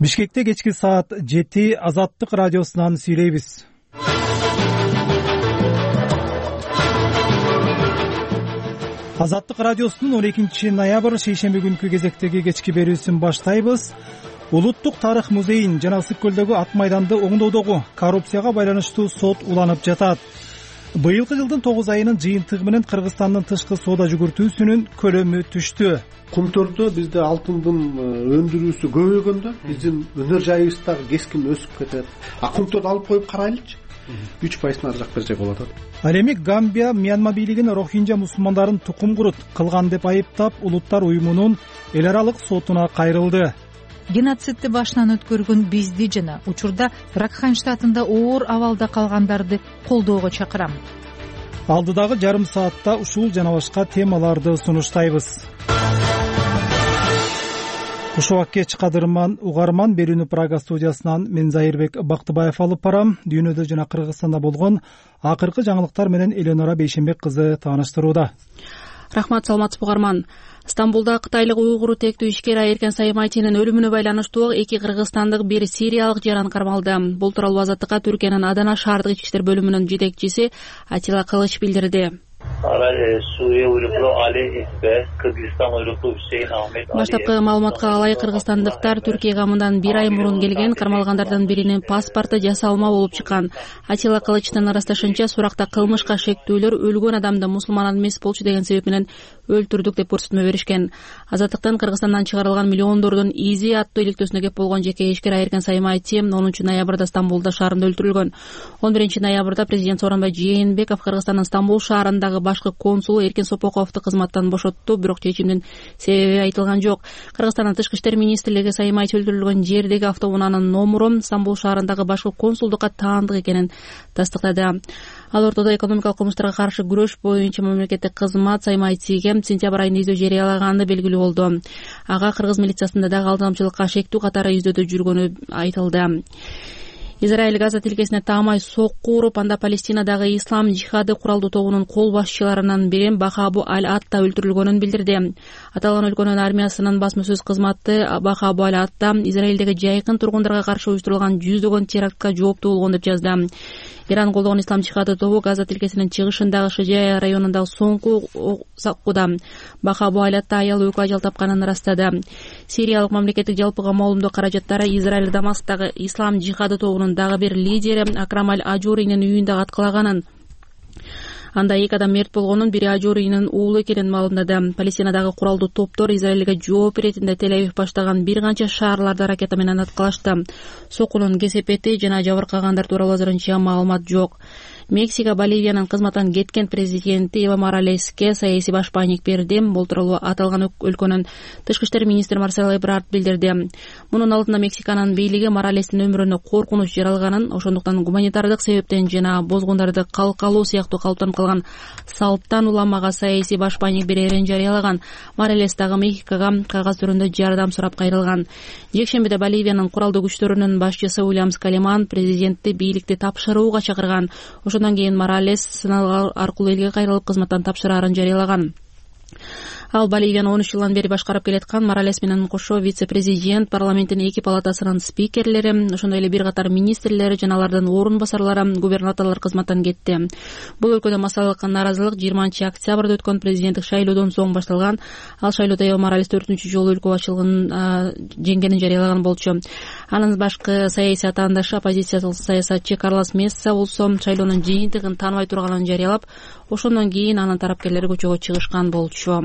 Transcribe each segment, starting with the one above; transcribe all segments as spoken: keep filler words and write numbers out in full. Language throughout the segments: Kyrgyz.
Бишкекте кечки саат жети Азаттык радиосунан сүйлөйбүз. Азаттык радиосунун он экинчи ноябрь шейшемби күнкү кезектеги кечки берүүсүн баштайбыз. Улуттук тарых музейин жана Ысык көлдөгү ак майданды оңдоодогу коррупцияга байланыштуу сот уланып жатат. Быйылкы жылдын тогуз айынын жыйынтыгы менен Кыргызстандын тышкы соода жүгүртүүсүнүн көлөмү түштү. Кумтөрдө бизде алтындын өндүрүүсү көбөйгөндө биздин өнөр жайыбыз дагы кескин өсүп кетет. А кумтөрдү алып коюп карайлычы. үч пайыздан ары жак бер жак болот. Ал эми Гамбия Мьянма бийлигин Рохинжа мусулмандарын тукум курут кылган деп айыптап, Улуттар уюмунун эл аралык сотуна кайрылды. Геноцидти башынан өткөргөн бизди жана учурда Ракхайн штатында оор абалда калгандарды колдоого чакырам. Алдыдагы жарым саатта ушул жана башка темаларды сунуштайбыз. Кушубак кеч кадырман угарман, берүүнү Прага студиясынан мен Зайырбек Бактыбаев алып барам. Дүйнөдө жана Кыргызстанда болгон акыркы жаңылыктар менен Эленора Бейшенбек кызы тааныштырууда. Рахмат, саламатсызбы угарман. Стамбулда кытайлык уйгур тектүү ишкер Айыркен Саймайтинин өлүмүнө байланыштуу эки кыргызстандык, бир сириялык жаран кармалды. Бул тууралуу Азаттыкка Түркиянын Адана шаардык ички иштер бөлүмүнүн жетекчиси Атила Кылыч билдирди. Баштапкы маалыматка ылайык, кыргызстандыктар Түркия камынан бир ай мурун келген, кармалгандардын биринин паспорту жасалма болуп чыккан. Атила Кылычтын ырасташынча, суракта кылмышка шектүүлөр өлгөн адамды мусулман эмес болчу деген себеп менен өлтүрдүк деп көрсөтмө беришкен. Азаттыктан Кыргызстандан чыгарылган миллиондордун изи аттуу иликтөөсүнө кеп болгон жеке ишкер Айыркен Саймайти онунчу ноябрда Стамбулда шаарында өлтүрүлгөн. он биринчи ноябрда президент Сооронбай Жээнбеков Кыргызстандын Стамбул шаарындагы башкы консулу Эркин Сопоковду кызматтан бошотту, бирок чечимдин себеби айтылган жок. Кыргызстандын тышкы иштер министрлиги Саймайти өлтүрүлгөн жердеги автоунаанын номурун Стамбул шаарындагы башкы консулдукка таандык экенин тастыктады. Ал ортодо экономикалык кылмыштарга каршы күрөш боюнча мамлекеттик кызмат Саймайтиге сентябрь айында издөө жарыялаганы белгилүү болду. Ага кыргыз милициясында дагы алдамчылыкка шектүү катары издөөдө жүргөнү айтылды. Израиль Газа тилкесине таамай сокку уруп, анда Палестинадагы ислам жихады куралдуу тобунун кол башчыларынан бири Бахабу Аль-Атта өлтүрүлгөнүн билдирди. Аталган өлкөнүн армиясынын басма сөз кызматы Бахабу Аль-Атта Израилдеги жайкын тургундарга каршы уюштурулган жүздөгөн терактка жооптуу болгон деп жазды. Иран колдогон ислам жихады тобу Газа тилкесинин чыгышындагы Шижая районундагы соңку саккуда. Бахабу Аль-Атта аял өкү ажал тапканын ырастады. Сириялык мамлекеттик жалпы камоолумдуу каражаттары Израиль Дамасктагы ислам жихады тобунун дагы бир лидери Акрам Аль-Ажуринин үйүндө аткалаганын, анда эки адам мерт болгонун, бири Ажуринин уулу экенин маалымдады. Палестинадагы куралдуу топтор Израилге жооп иретинде Тель-Авив баштаган бир канча шаарларды ракета менен аткалашты. Сокунун кесепети жана жабыркагандар тууралуу азырынча маалымат жок. Мексика Боливиянын кызматтан кеткен президенти Эва Моралеске саясий башпаанник берди. Бул тууралуу аталган өлкөнүн тышкы иштер министри Марсело Эбрард билдирди. Мунун алдында Мексиканын бийлиги Моралестин өмүрүнө коркунуч жаралганын, ошондуктан гуманитардык себептен жана бозгундарды калкалоо сыяктуу калыптанып калган салттан уламага саясий башпаанник берерин жарыялаган. Моралес дагы Мексикага кагаз түрүндө жардам сурап кайрылган. Жекшембиде Боливиянын куралдуу күчтөрүнүн башчысы Уильям Скалеман президентти бийликти тапшырууга чакырган. Ошондон кийин Моралес сыналар аркылуу элге кайрылып кызматтан тапшырарын жарыялаган. Ал Боливияны он үч жылдан бери башкарып келаткан. Моралес менен кошо вице-президент, парламенттин эки палатасынын спикерлери, ошондой эле бир катар министрлери жана алардын орун басарлары, губернаторлор кызматтан кетти. Бул өлкөдө массалык нааразылык жыйырманчы октябрда өткөн президенттик шайлоодон соң башталган. Ал шайлоодо Эва Моралес төртүнчү жолу өлкө башчылыгын жеңгенин жарыялаган болчу. Анын башкы саясий атаандашы оппозициялык саясатчы Карлос Месса болсо шайлоонун жыйынтыгын тааныбай турганын жарыялап, ошондон кийин анын тарапташылары көчөгө чыгышкан болчу.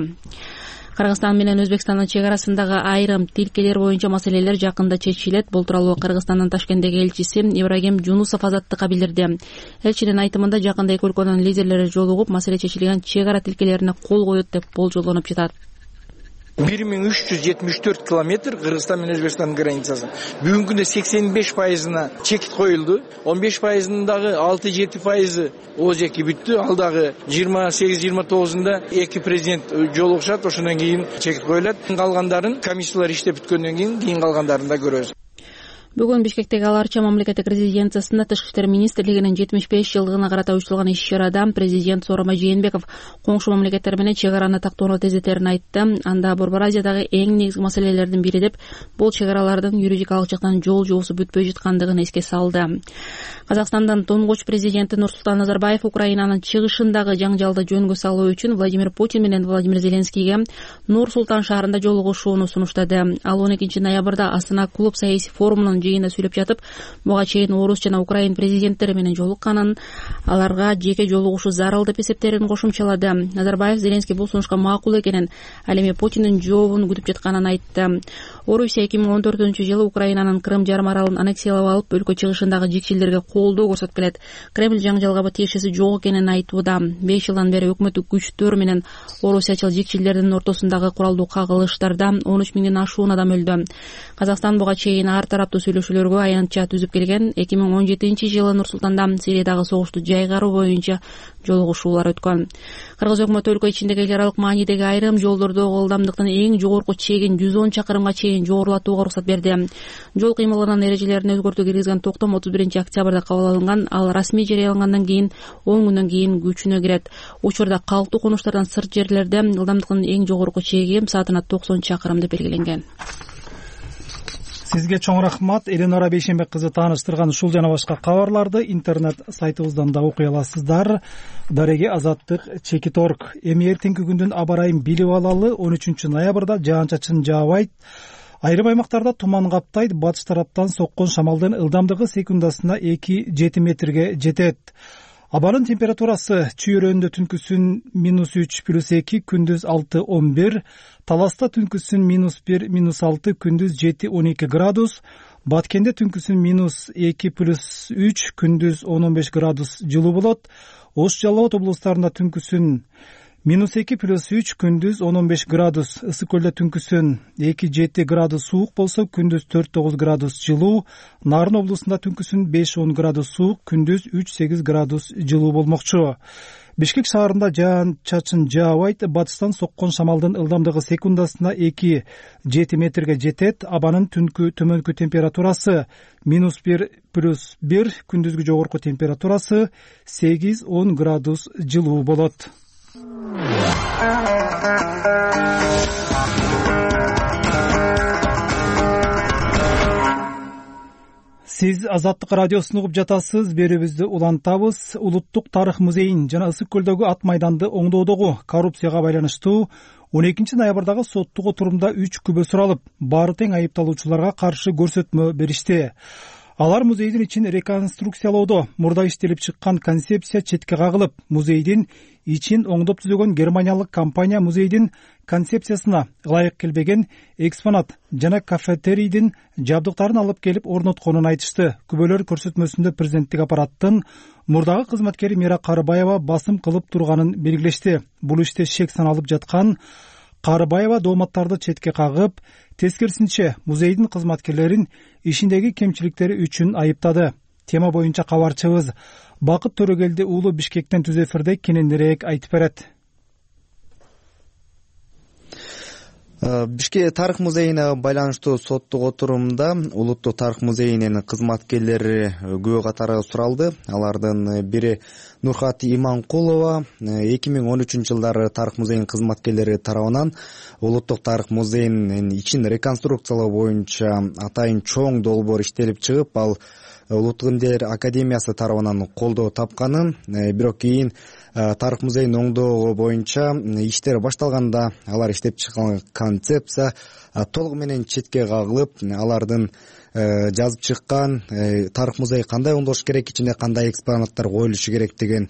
Кыргызстан менен Өзбекстандын чек арасындагы айрым тилкелер боюнча маселелер жакында чечилет. Бул тууралуу Кыргызстандын Ташкенттеги элчиси Ибрагим Жунусов Азаттыкка билдирди. Элчинин айтымында жакында эки өлкөнүн лидерлери жолугуп, маселе чечилген чек ара тилкелерине кол коет деп болжолдонуп жатат. бир миң үч жүз жетимиш төрт километр Кыргызстан менен Өзбекстандын границасы. Бүгүнкү күндө сексен беш пайызына чекит коюлду. он беш пайызынын дагы алты жети пайызы о жеки бүттү. Ал дагы жыйырма сегиз жыйырма тогузунда эки президент жолугушат, ошондон кийин чекит коюлат. Калгандарын комиссиялар иштеп бүткөндөн кийин кийин калгандарын да көрөбүз. Бүгүн Бишкектеги Ал Арча мамлекеттик резиденциясында Тышкы иштер министрлигинин жетимиш беш жылдыгына карата уюштурулган иш-чарада президент Сооронбай Жээнбеков коңшу мамлекеттер менен чек араны тактоону тездетерин айтты. Анда Борбор Азиядагы эң негизги маселелердин бири деп бул чек аралардын юридикалык жактан жол жуусу бүтпөй жаткандыгын эске салды. Казакстандын туңгуч президенти Нурсултан Назарбаев Украинанын чыгышындагы жаңжалды жөнгө салуу үчүн Владимир Путин менен Владимир Зеленскийге Нур Султан шаарында жолугушууну сунуштады. Ал он экинчи ноябрда Астана клуб саясий форумунун жыйынында сүйлөп жатып, буга чейин орус жана украин президенттери менен жолукканын, аларга жеке жолугушуу зарыл деп эсептерин кошумчалады. Назарбаев Зеленский бул сунушка макул экенин, ал эми Путиндин жообун күтүп жатканын айтты. Орусия эки миң он төртүнчү жылы Украинанын Крым жарым аралын аннексиялап алып, өлкө чыгышындагы жекчилерге колдоо көрсөтүп келет. Кремль жаңжалга тиешеси жок экенин айтууда. беш жылдан бери өкмөттүк күчтөр менен орусиячыл жекчилердин ортосундагы куралдуу кагылыштарда он үч миңден ашуун адам өлдү. Казакстан буга чейин ар тараптуу сүйлөшүүлөргө аянтча түзүп келген. эки миң он жетинчи жылы Нур Султанда Сириядагы согушту жайгаруу боюнча жолугушуулар өткөн. Кыргыз өкмөтү өлкө ичиндеги эл аралык маанидеги айрым жолдордогу ылдамдыктын эң жогорку чегин жүз он чакырымга чейин жогорулатууга уруксат берди. Жол кыймылынын эрежелерине өзгөртүү киргизген токтом отуз биринчи октябрда кабыл алынган. Ал расмий жарыялангандан кийин он күндөн кийин күчүнө кирет. Учурда калктуу конуштардан сырт жерлерде ылдамдыктын эң жогорку чеги саатына токсон чакырым деп белгиленген. Сизге чоң рахмат. Эленора Бейшенбек кызы тааныштырган ушул жана башка кабарларды интернет сайтыбыздан да окуй аласыздар. Дареги Азаттык чекит точка орг. Эми эртеңки күндүн аба ырайын билип алалы. он үчүнчү ноябрда жаан-чачын жаабайт. Айрым аймактарда туман каптайт. Батыш тараптан соккон шамалдын ылдамдыгы секундасына эки жети метрге жетет. Абанын температурасы Чүйөрөндө түнкүсүн минус үч плюс эки, күндүз алты он бир, Таласта түнкүсүн минус бир минус алты, күндүз жети он эки градус, Баткенде түнкүсүн минус эки плюс үч, күндүз он он беш градус жылуу болот. Ош Жалал облустарында түнкүсүн минус эки плюс үч, күндүз он он беш градус, Ысык көлдө түнкүсүн эки жети градус суук болсо, күндүз төрт тогуз градус жылуу, Нарын облусунда түнкүсүн беш он градус суук, күндүз үч сегиз градус жылуу болмокчу. Бишкек шаарында жаан-чачын жаабайт. Батыштан соккон шамалдын ылдамдыгы секундасына эки жети метрге жетет. Абанын түнкү төмөнкү температурасы минус бир плюс бир, күндүзгү жогорку температурасы сегиз он градус жылуу болот. Сиз Азаттык радиосун угуп жатасыз. Берүүбүздү улантабыз. Улуттук тарых музейин жана Ысык көлдөгү ат майданды оңдоодогу коррупцияга байланыштуу он экинчи ноябрдагы соттук отурумда үч күбө суралып, баары тең айыпталуучуларга каршы көрсөтмө беришти. Алар музейдин ичин реконструкциялоодо мурда иштелип чыккан концепция четке кагылып, музейдин ичин оңдоп түзөгөн германиялык компания музейдин концепциясына ылайык келбеген экспонат жана кафетерийдин жабдыктарын алып келип орнотконун айтышты. Күбөлөр көрсөтмөсүндө президенттик аппараттын мурдагы кызматкери Мира Карыбаева басым кылып турганын белгилешти. Бул иште шек саналып жаткан Карыбаева дооматтарды четке кагып, тескерисинче музейдин кызматкерлерин ишиндеги кемчиликтери үчүн айыптады. Тема боюнча кабарчыбыз Бакыт Төрөгелди уулу Бишкектен түз эфирде кененирээк айтып берет. Бишкек тарых музейине байланыштуу соттук отурумда Улуттук тарых музейинин кызматкерлери күбө катары суралды. Алардын бири Нурхат Иманкулова эки миң он үчүнчү жылдары тарых музейинин кызматкерлери тарабынан Улуттук тарых музейинин ичин реконструкциялоо боюнча атайын чоң долбоор иштелип чыгып, ал Улуттук илимдер академиясы тарабынан колдоо тапканын, бирок кийин тарых музейин оңдоого боюнча иштер башталганда алар иштеп чыккан концепция толугу менен четке кагылып, алардын жазып чыккан тарых музей кандай оңдолуш керек, ичине кандай экспонаттар коюлушу керек деген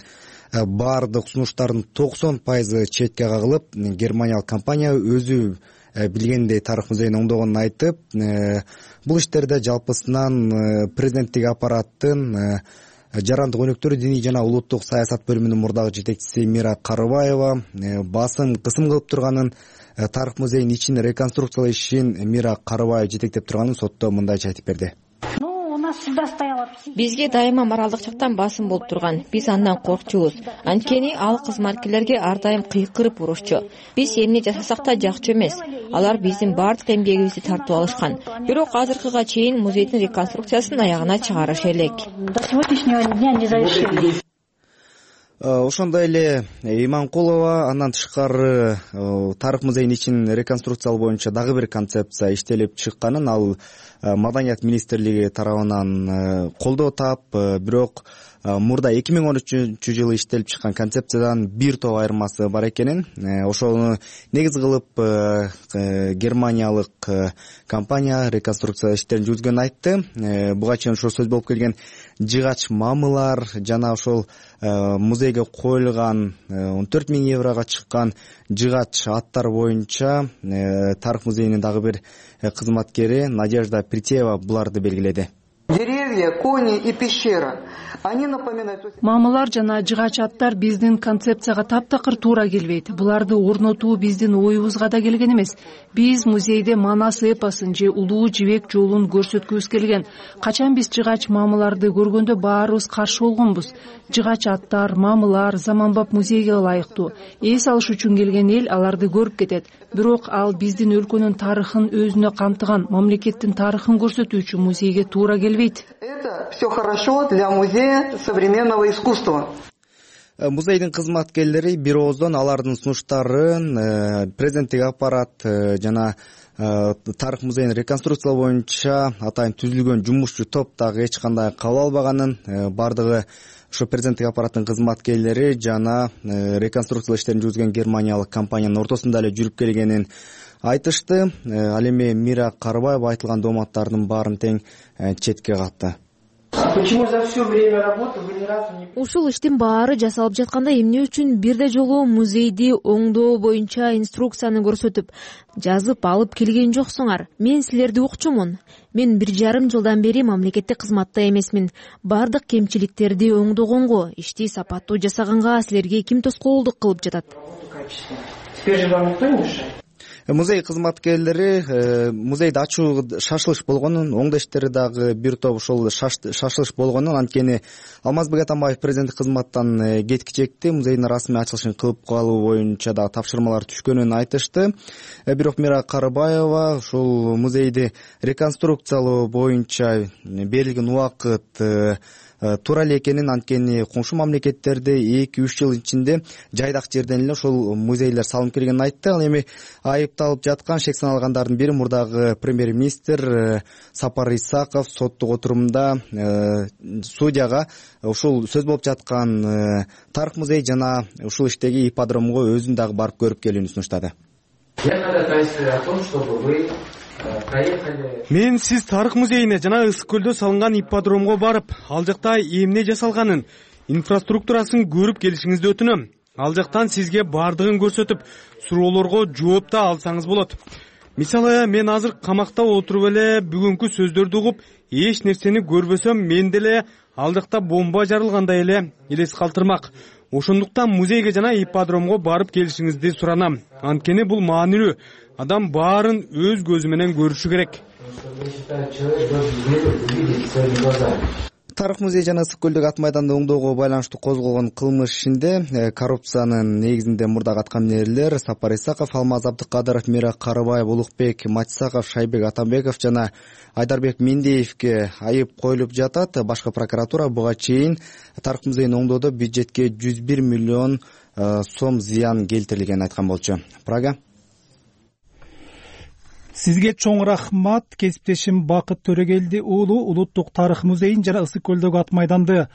баардык сунуштардын токсон пайызы четке кагылып, германиялык компания өзү билгендей тарых музейин оңдогонун айтып, бул иштерде жалпысынан президенттик аппараттын жарандык өнүктүрүү, диний жана улуттук саясат бөлүмүнүн мурдагы жетекчиси Мира Карыбаева басым кысым кылып турганын, тарых музейинин ичин реконструкциялоо ишин Мира Карыбаева жетектеп турганын сотто мындайча айтып берди. Ну, у бизге дайыма моралдык жактан басым болуп турган. Биз андан коркчубуз. Анткени ал кызматкерлерге ар дайым кыйкырып урушчу. Биз эмне жасасак да жакчу эмес. Алар биздин баардык эмгегибизди тартып алышкан. Бирок азыркыга чейин музейдин реконструкциясын аягына чыгарышы элек. Ошондой эле Иманкулова андан тышкары тарых музейинин ичин реконструкциялоо боюнча дагы бир концепция иштелип чыкканын ал Маданият министрлиги тарабынан колдоо таап, бирок мурда эки миң он үчүнчү жылы иштелип чыккан концепциядан бир топ айырмасы бар экенин, ошону негиз кылып германиялык компания реконструкция иштерин жүргүзгөнүн айтты. Буга чейин ошол сөз болуп келген жыгач мамылар жана ошол музейге коюлган он төрт миң еврого чыккан жыгач аттар боюнча тарых музейинин дагы бир кызматкери Надежда Притеева буларды белгиледи. Деревья, кони и пещера. Они напоминают... Мамылар жана жыгач аттар биздин концепцияга таптакыр туура келбейт. Буларды орнотуу биздин оюбузга да келген эмес. Биз музейде Манас эпосун же Улуу Жибек жолун көрсөткүбүз келген. Качан биз жыгач мамыларды көргөндө баарыбыз каршы болгонбуз. Жыгач аттар, мамылар заманбап музейге ылайыктуу. Эс алыш үчүн келген эл аларды көрүп кетет. Бирок ал биздин өлкөнүн тарыхын өзүнө камтыган, мамлекеттин тарыхын көрсөтүү үчүн музейге туура келбейт. Это все хорошо для музея современного искусства. Музейдин кызматкерлери бир ооздон алардын сунуштарын президенттик аппарат жана тарых музейин реконструкциялоо боюнча атайын түзүлгөн жумушчу топ дагы эч кандай кабыл албаганын, бардыгы ошо президенттик аппараттын кызматкерлери жана реконструкциялоо иштерин жүргүзгөн германиялык компаниянын ортосунда эле жүрүп келгенин айтышты. Ал эми Мира Карыбаева айтылган дооматтардын баарын тең четке катты. Ушул иштин баары жасалып жатканда эмне үчүн бирде жолу музейди оңдоо боюнча инструкцияны көрсөтүп, жазып алып келген жоксуңар? Мен силерди укчумун. Мен бир жарым жылдан бери мамлекеттик кызматта эмесмин. Бардык кемчиликтерди оңдогонго, ишти сапаттуу жасаганга силерге ким тоскоолдук кылып жатат? Музей кызматкерлери музейди ачуу шашылыш болгонун, оңдоо иштери дагы бир топ ошол шашылыш болгонун, анткени Алмазбек Атамбаев президенттик кызматтан кеткичекти музейдин расмий ачылышын кылып калуу боюнча дагы тапшырмалар түшкөнүн айтышты. Бирок Мира Карыбаева ушул музейди реконструкциялоо боюнча берилген убакыт туура эле экенин, анткени коңшу мамлекеттерде эки үч жыл ичинде жайдак жерден эле ошол музейлер салынып келгенин айтты. Ал эми айыпталып жаткан шек саналгандардын бири мурдагы премьер-министр Сапар Исаков соттук отурумда судьяга ушул сөз болуп жаткан тарых музей жана ушул иштеги ипподромго өзүн дагы барып көрүп келүүнү сунуштады. Мен сиз тарых музейине жана Ысык көлдө салынган ипподромго барып, ал жакта эмне жасалганын, инфраструктурасын көрүп келишиңизди өтүнөм. Ал жактан сизге бардыгын көрсөтүп, суроолорго жооп да алсаңыз болот. Мисалы, мен азыр камакта отуруп эле бүгүнкү сөздөрдү угуп, эч нерсени көрбөсөм, мен деле ал жакта бомба жарылгандай эле элес калтырмак. Ошондуктан музейге жана ипподромго барып келишиңизди суранам. Анткени бул маанилүү. Адам баарын өз көзү менен көрүшү керек. Тарых музей жана Ысык көлдөгү ат майданды оңдоого байланыштуу козголгон кылмыш ишинде коррупциянын негизинде мурдагы аткаминерлер Сапар Исаков, Алмаз Абдыкадыров, Мира Карыбаев, Улукбек Матисаков, Шайбек Атамбеков жана Айдарбек Мендеевке айып коюлуп жатат. Башкы прокуратура буга чейин тарых музейин оңдоодо бюджетке жүз бир миллион сом зыян келтирилгенин айткан болчу. Прага. Сизге чоң рахмат. Кесиптешим Бакыт Төрөгелди уулу Улуттук тарых музейин жана Ысык көлдөгү ат майданды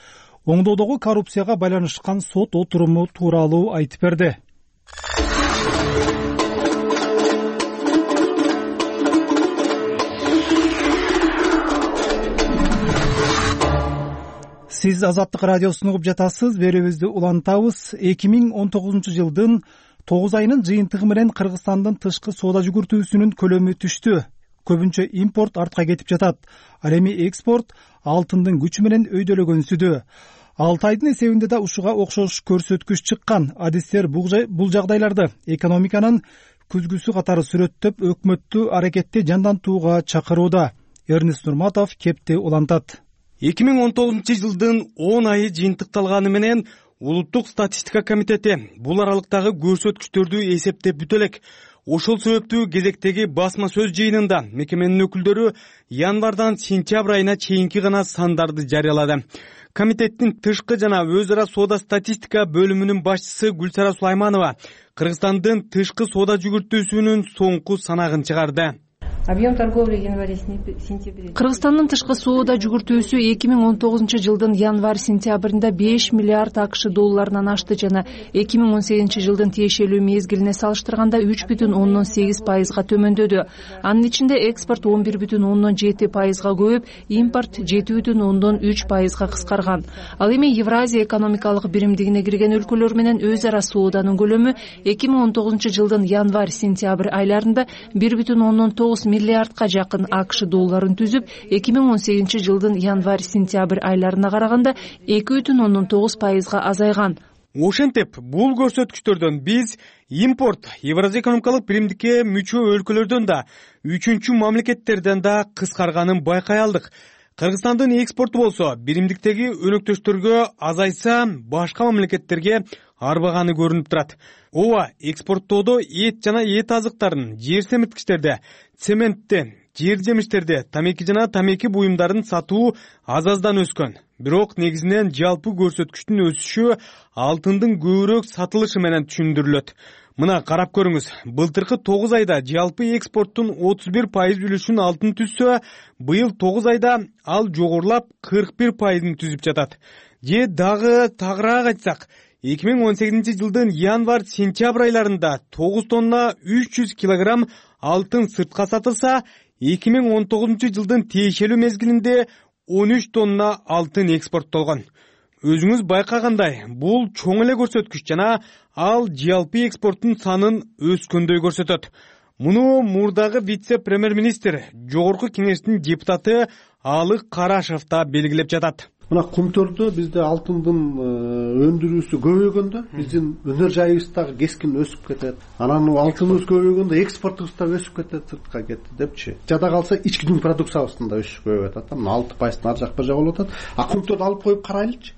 оңдоодогу коррупцияга байланышкан сот отуруму тууралуу айтып берди. Сиз Азаттык радиосун угуп жатасыз. Берүүбүздү улантабыз. эки миң он тогузунчу жылдын тогуз айынын жыйынтыгы менен Кыргызстандын тышкы соода жүгүртүүсүнүн көлөмү түштү. Көбүнчө импорт артка кетип жатат. Ал эми экспорт алтындын күчү менен өйдөлөгөнсүдө. алты айдын эсебинде да ушуга окшош көрсөткүч чыккан. Адистер бул жагдайларды экономиканын күзгүсү катары сүрөттөп, өкмөттү аракетти жандантууга чакырууда. Эрнест Нурматов кепти улантат. эки миң он тогузунчу жылдын он айы жыйынтыкталганы менен Улуттук статистика комитети бул аралыктагы көрсөткүчтөрдү эсептеп бүтө элек. Ошол себептүү кезектеги басма сөз жыйынында мекеменин өкүлдөрү январдан сентябрь айына чейинки гана сандарды жарыялады. Комитеттин тышкы жана өз ара соода статистика бөлүмүнүн башчысы Гүлсара Сулайманова Кыргызстандын тышкы соода жүгүртүүсүнүн соңку санагын чыгарды. Объем торговли январь-сентябрь. Кыргызстандын тышкы соода жүгүртүүсү эки миң он тогузунчу жылдын январь-сентябрында беш миллиард акш долларынан ашты жана эки миң он сегизинчи жылдын тиешелүү мезгилине салыштырганда үч бүтүн ондон сегиз пайызга төмөндөдү. Анын ичинде экспорт он бир бүтүн ондон жети пайызга көбөйүп, импорт жети бүтүн ондон үч пайызга кыскарган. Ал эми Евразия экономикалык биримдигине кирген өлкөлөр менен өз ара сооданын көлөмү эки миң он тогузунчу жылдын январь-сентябрь айларында бир бүтүн ондон тогуз миллиардка жакын акш долларын түзүп, эки миң он сегизинчи жылдын январь-сентябрь айларына караганда эки бүтүн ондон тогуз пайызга азайган. Ошентип, бул көрсөткүчтөрдөн биз импорт Евразия экономикалык биримдикке мүчө өлкөлөрдөн да, үчүнчү мамлекеттерден да кыскарганын байкай алдык. Кыргызстандын экспорту болсо биримдиктеги өнөктөштөргө азайса, башка мамлекеттерге арбаганы көрүнүп турат. Ооба, экспорттоодо эт жана эт азыктарын, жер семирткичтерди, цементти, жер жемиштерди, тамеки жана тамеки буюмдарын сатуу аз-аздан өскөн. Бирок негизинен жалпы көрсөткүчтүн өсүшү алтындын көбүрөөк сатылышы менен түшүндүрүлөт. Мына карап көрүңүз, былтыркы тогуз айда жалпы экспорттун отуз бир пайыз үлүшүн алтын түзсө, быйыл тогуз айда ал жогорулап кырк бир пайызын түзүп жатат. Же дагы тагыраак айтсак, эки миң он сегизинчи жылдын январь-сентябрь айларында тогуз тонна үч жүз килограмм алтын сыртка сатылса, эки миң он тогузунчу жылдын тиешелүү мезгилинде он үч тонна алтын экспорттолгон. Өзүңүз байкагандай, бул чоң эле көрсөткүч жана ал жалпы экспорттун санын өскөндөй көрсөтөт. Муну мурдагы вице-премьер-министр, жогорку кеңештин депутаты Алык Карашев да белгилеп жатат. Мына Кумтөрдө бизде алтындын өндүрүүсү көбөйгөндө биздин өнөр жайыбыз дагы кескин өсүп кетет. Анан алтыныбыз көбөйгөндө экспортубуз да өсүп кетет, сыртка кетти депчи. Жада калса ички дүң продукциябыздын да өсүшү көбөйүп атат. Мына алты пайыздын ар жак бир жак болуп атат. А Кумтөрдү алып коюп карайлычы.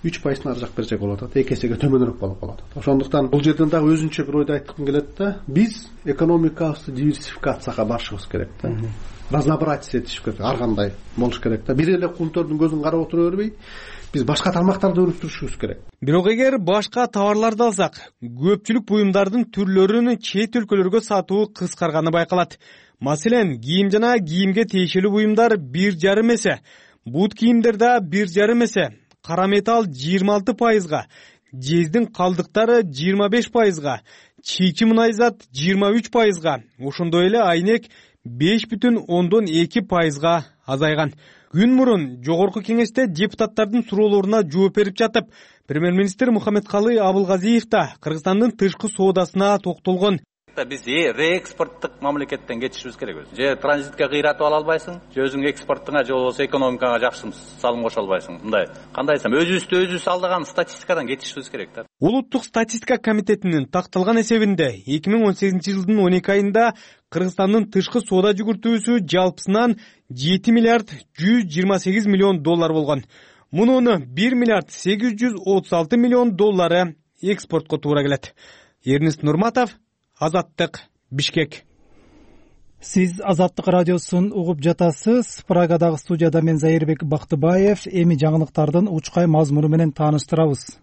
үч пайыздын ар жак бир жак болуп атат. эки эсеге төмөнүрөөк болуп калат. Ошондуктан бул жерден дагы өзүнчө бир ойду айткым келет да. Биз экономикабызды диверсификацияга барышыбыз керек да. Разнообразие этиш керек, ар кандай болуш керек да. Бир эле Кумтөрдүн көзүн карап отура бербей, биз башка тармактарды өнүктүрүшүбүз керек. Бирок эгер башка товарларды алсак, көпчүлүк буюмдардын түрлөрүн чет өлкөлөргө сатуу кыскарганы байкалат. Маселен, кийим жана кийимге тиешелүү буюмдар бир жарым эсе, бут кийимдер да бир жарым эсе, кара металл жыйырма алты пайызга, жездин калдыктары жыйырма беш пайызга, чийки мунайзат жыйырма үч пайызга, ошондой эле айнек беш бүтүн ондон эки пайызга азайган. Күн мурун жогорку кеңеште депутаттардын суроолоруна жооп берип жатып, премьер-министр Мухаммедкалый Абылгазиев да Кыргызстандын тышкы соодасына токтолгон. Биз реэкспорттук мамлекеттен кетишибиз керек өзү. Же транзитке кыйратып ала албайсың, же өзүң экспортуңа же болбосо экономикаңа жакшы салым кошо албайсың. Мындай кандай десем, өзүбүздү өзүбүз алдаган статистикадан кетишибиз керек да. Улуттук статистика комитетинин такталган эсебинде эки миң он сегизинчи жылдын он эки айында Кыргызстандын тышкы соода жүгүртүүсү жалпысынан жети миллиард жүз жыйырма сегиз миллион доллар болгон. Мунун бир миллиард сегиз жүз отуз алты миллион доллары экспортко туура келет. Эрнест Нурматов, Азаттык, Бишкек. Сиз Азаттык радиосун угуп жатасыз. Прагадагы студияда мен Зайырбек Бактыбаев. Эми жаңылыктардын учкай мазмуну менен тааныштырабыз.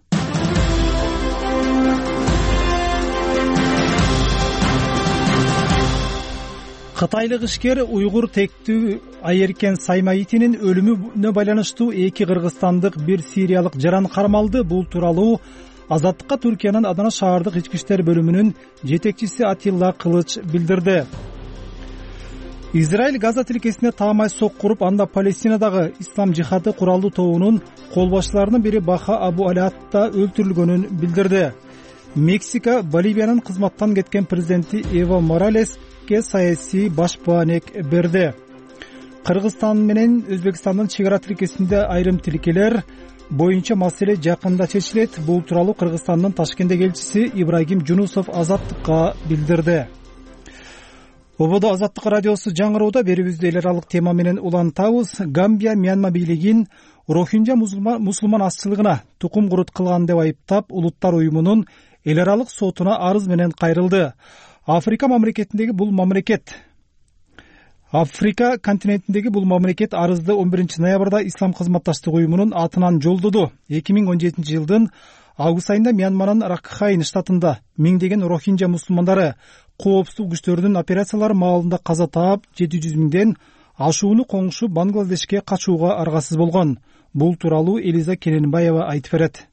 Кытайлык ишкер уйгур тектүү Айеркен Саймаитинин өлүмүнө байланыштуу эки кыргызстандык, бир сириялык жаран кармалды. Бул тууралуу Азаттыкка Түркиянын Адана шаардык ички иштер бөлүмүнүн жетекчиси Атилла Кылыч билдирди. Израиль Газа тилкесине таамай сокку уруп, анда Палестинадагы Ислам жихады куралдуу тобунун кол башчыларынын бири Баха Абу Алятта өлтүрүлгөнүн билдирди. Мексика Боливиянын кызматтан кеткен президенти Эво Моралеске саясий башпаанек берди. Кыргызстан менен Өзбекстандын чек ара тилкесинде айрым тилкелер боюнча маселе жакында чечилет. Бул тууралуу Кыргызстандын Ташкенттеги элчиси Ибрагим Жунусов Азаттыкка билдирди. ободо Азаттык радиосу жаңыроодо берүүбүздү эл аралык тема менен улантабыз. Гамбия Мьянма бийлигин Рохинжа мусулман азчылыгына тукум курут кылган деп айыптап, улуттар уюмунун эл аралык сотуна арыз менен кайрылды. Африка мамлекетиндеги бул мамлекет Африка континентиндеги бул мамлекет арызды он биринчи ноябрда Ислам кызматташтык уюмунун атынан жолдоду. эки миң он жетинчи жылдын август айында Мьянманын Ракхайн штатында миңдеген Рохинжа мусулмандары коопсуздук күчтөрүнүн операциялары маалында каза таап, жети жүз миңден ашууну коңшу Бангладешке качууга аргасыз болгон. Бул тууралуу Элиза Кененбаева айтып берет.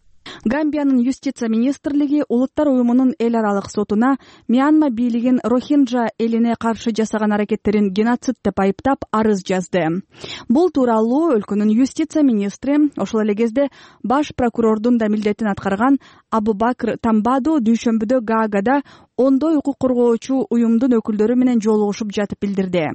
Гамбиянын юстиция министрлиги улуттар уюмунун эл аралык сотуна Мьянма бийлигин Рохинжа элине каршы жасаган аракеттерин геноцид деп айыптап арыз жазды. Бул тууралуу өлкөнүн юстиция министри, ошол эле кезде баш прокурордун да милдетин аткарган Абубакр Тамбаду дүйшөмбүдө Гаагада ондой укук коргоочу уюмдун өкүлдөрү менен жолугушуп жатып билдирди.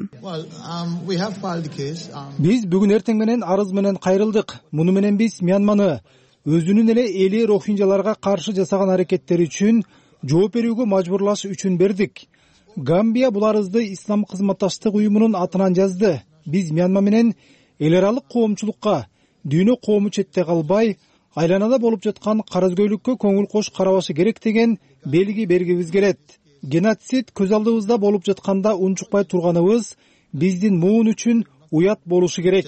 Биз бүгүн эртең менен арыз менен кайрылдык. Муну менен биз Мьянманы өзүнүн эле эли рохинжаларга каршы жасаган аракеттери үчүн жооп берүүгө мажбурлаш үчүн бердик. Гамбия бул арызды Ислам кызматташтык уюмунун атынан жазды. Биз Мьянма менен эл аралык коомчулукка дүйнө коому четте калбай, айланада болуп жаткан карызгөйлүккө көңүл кош карабашы керек деген белги бергибиз келет. Геноцид көз алдыбызда болуп жатканда унчукпай турганыбыз биздин муун үчүн уят болушу керек.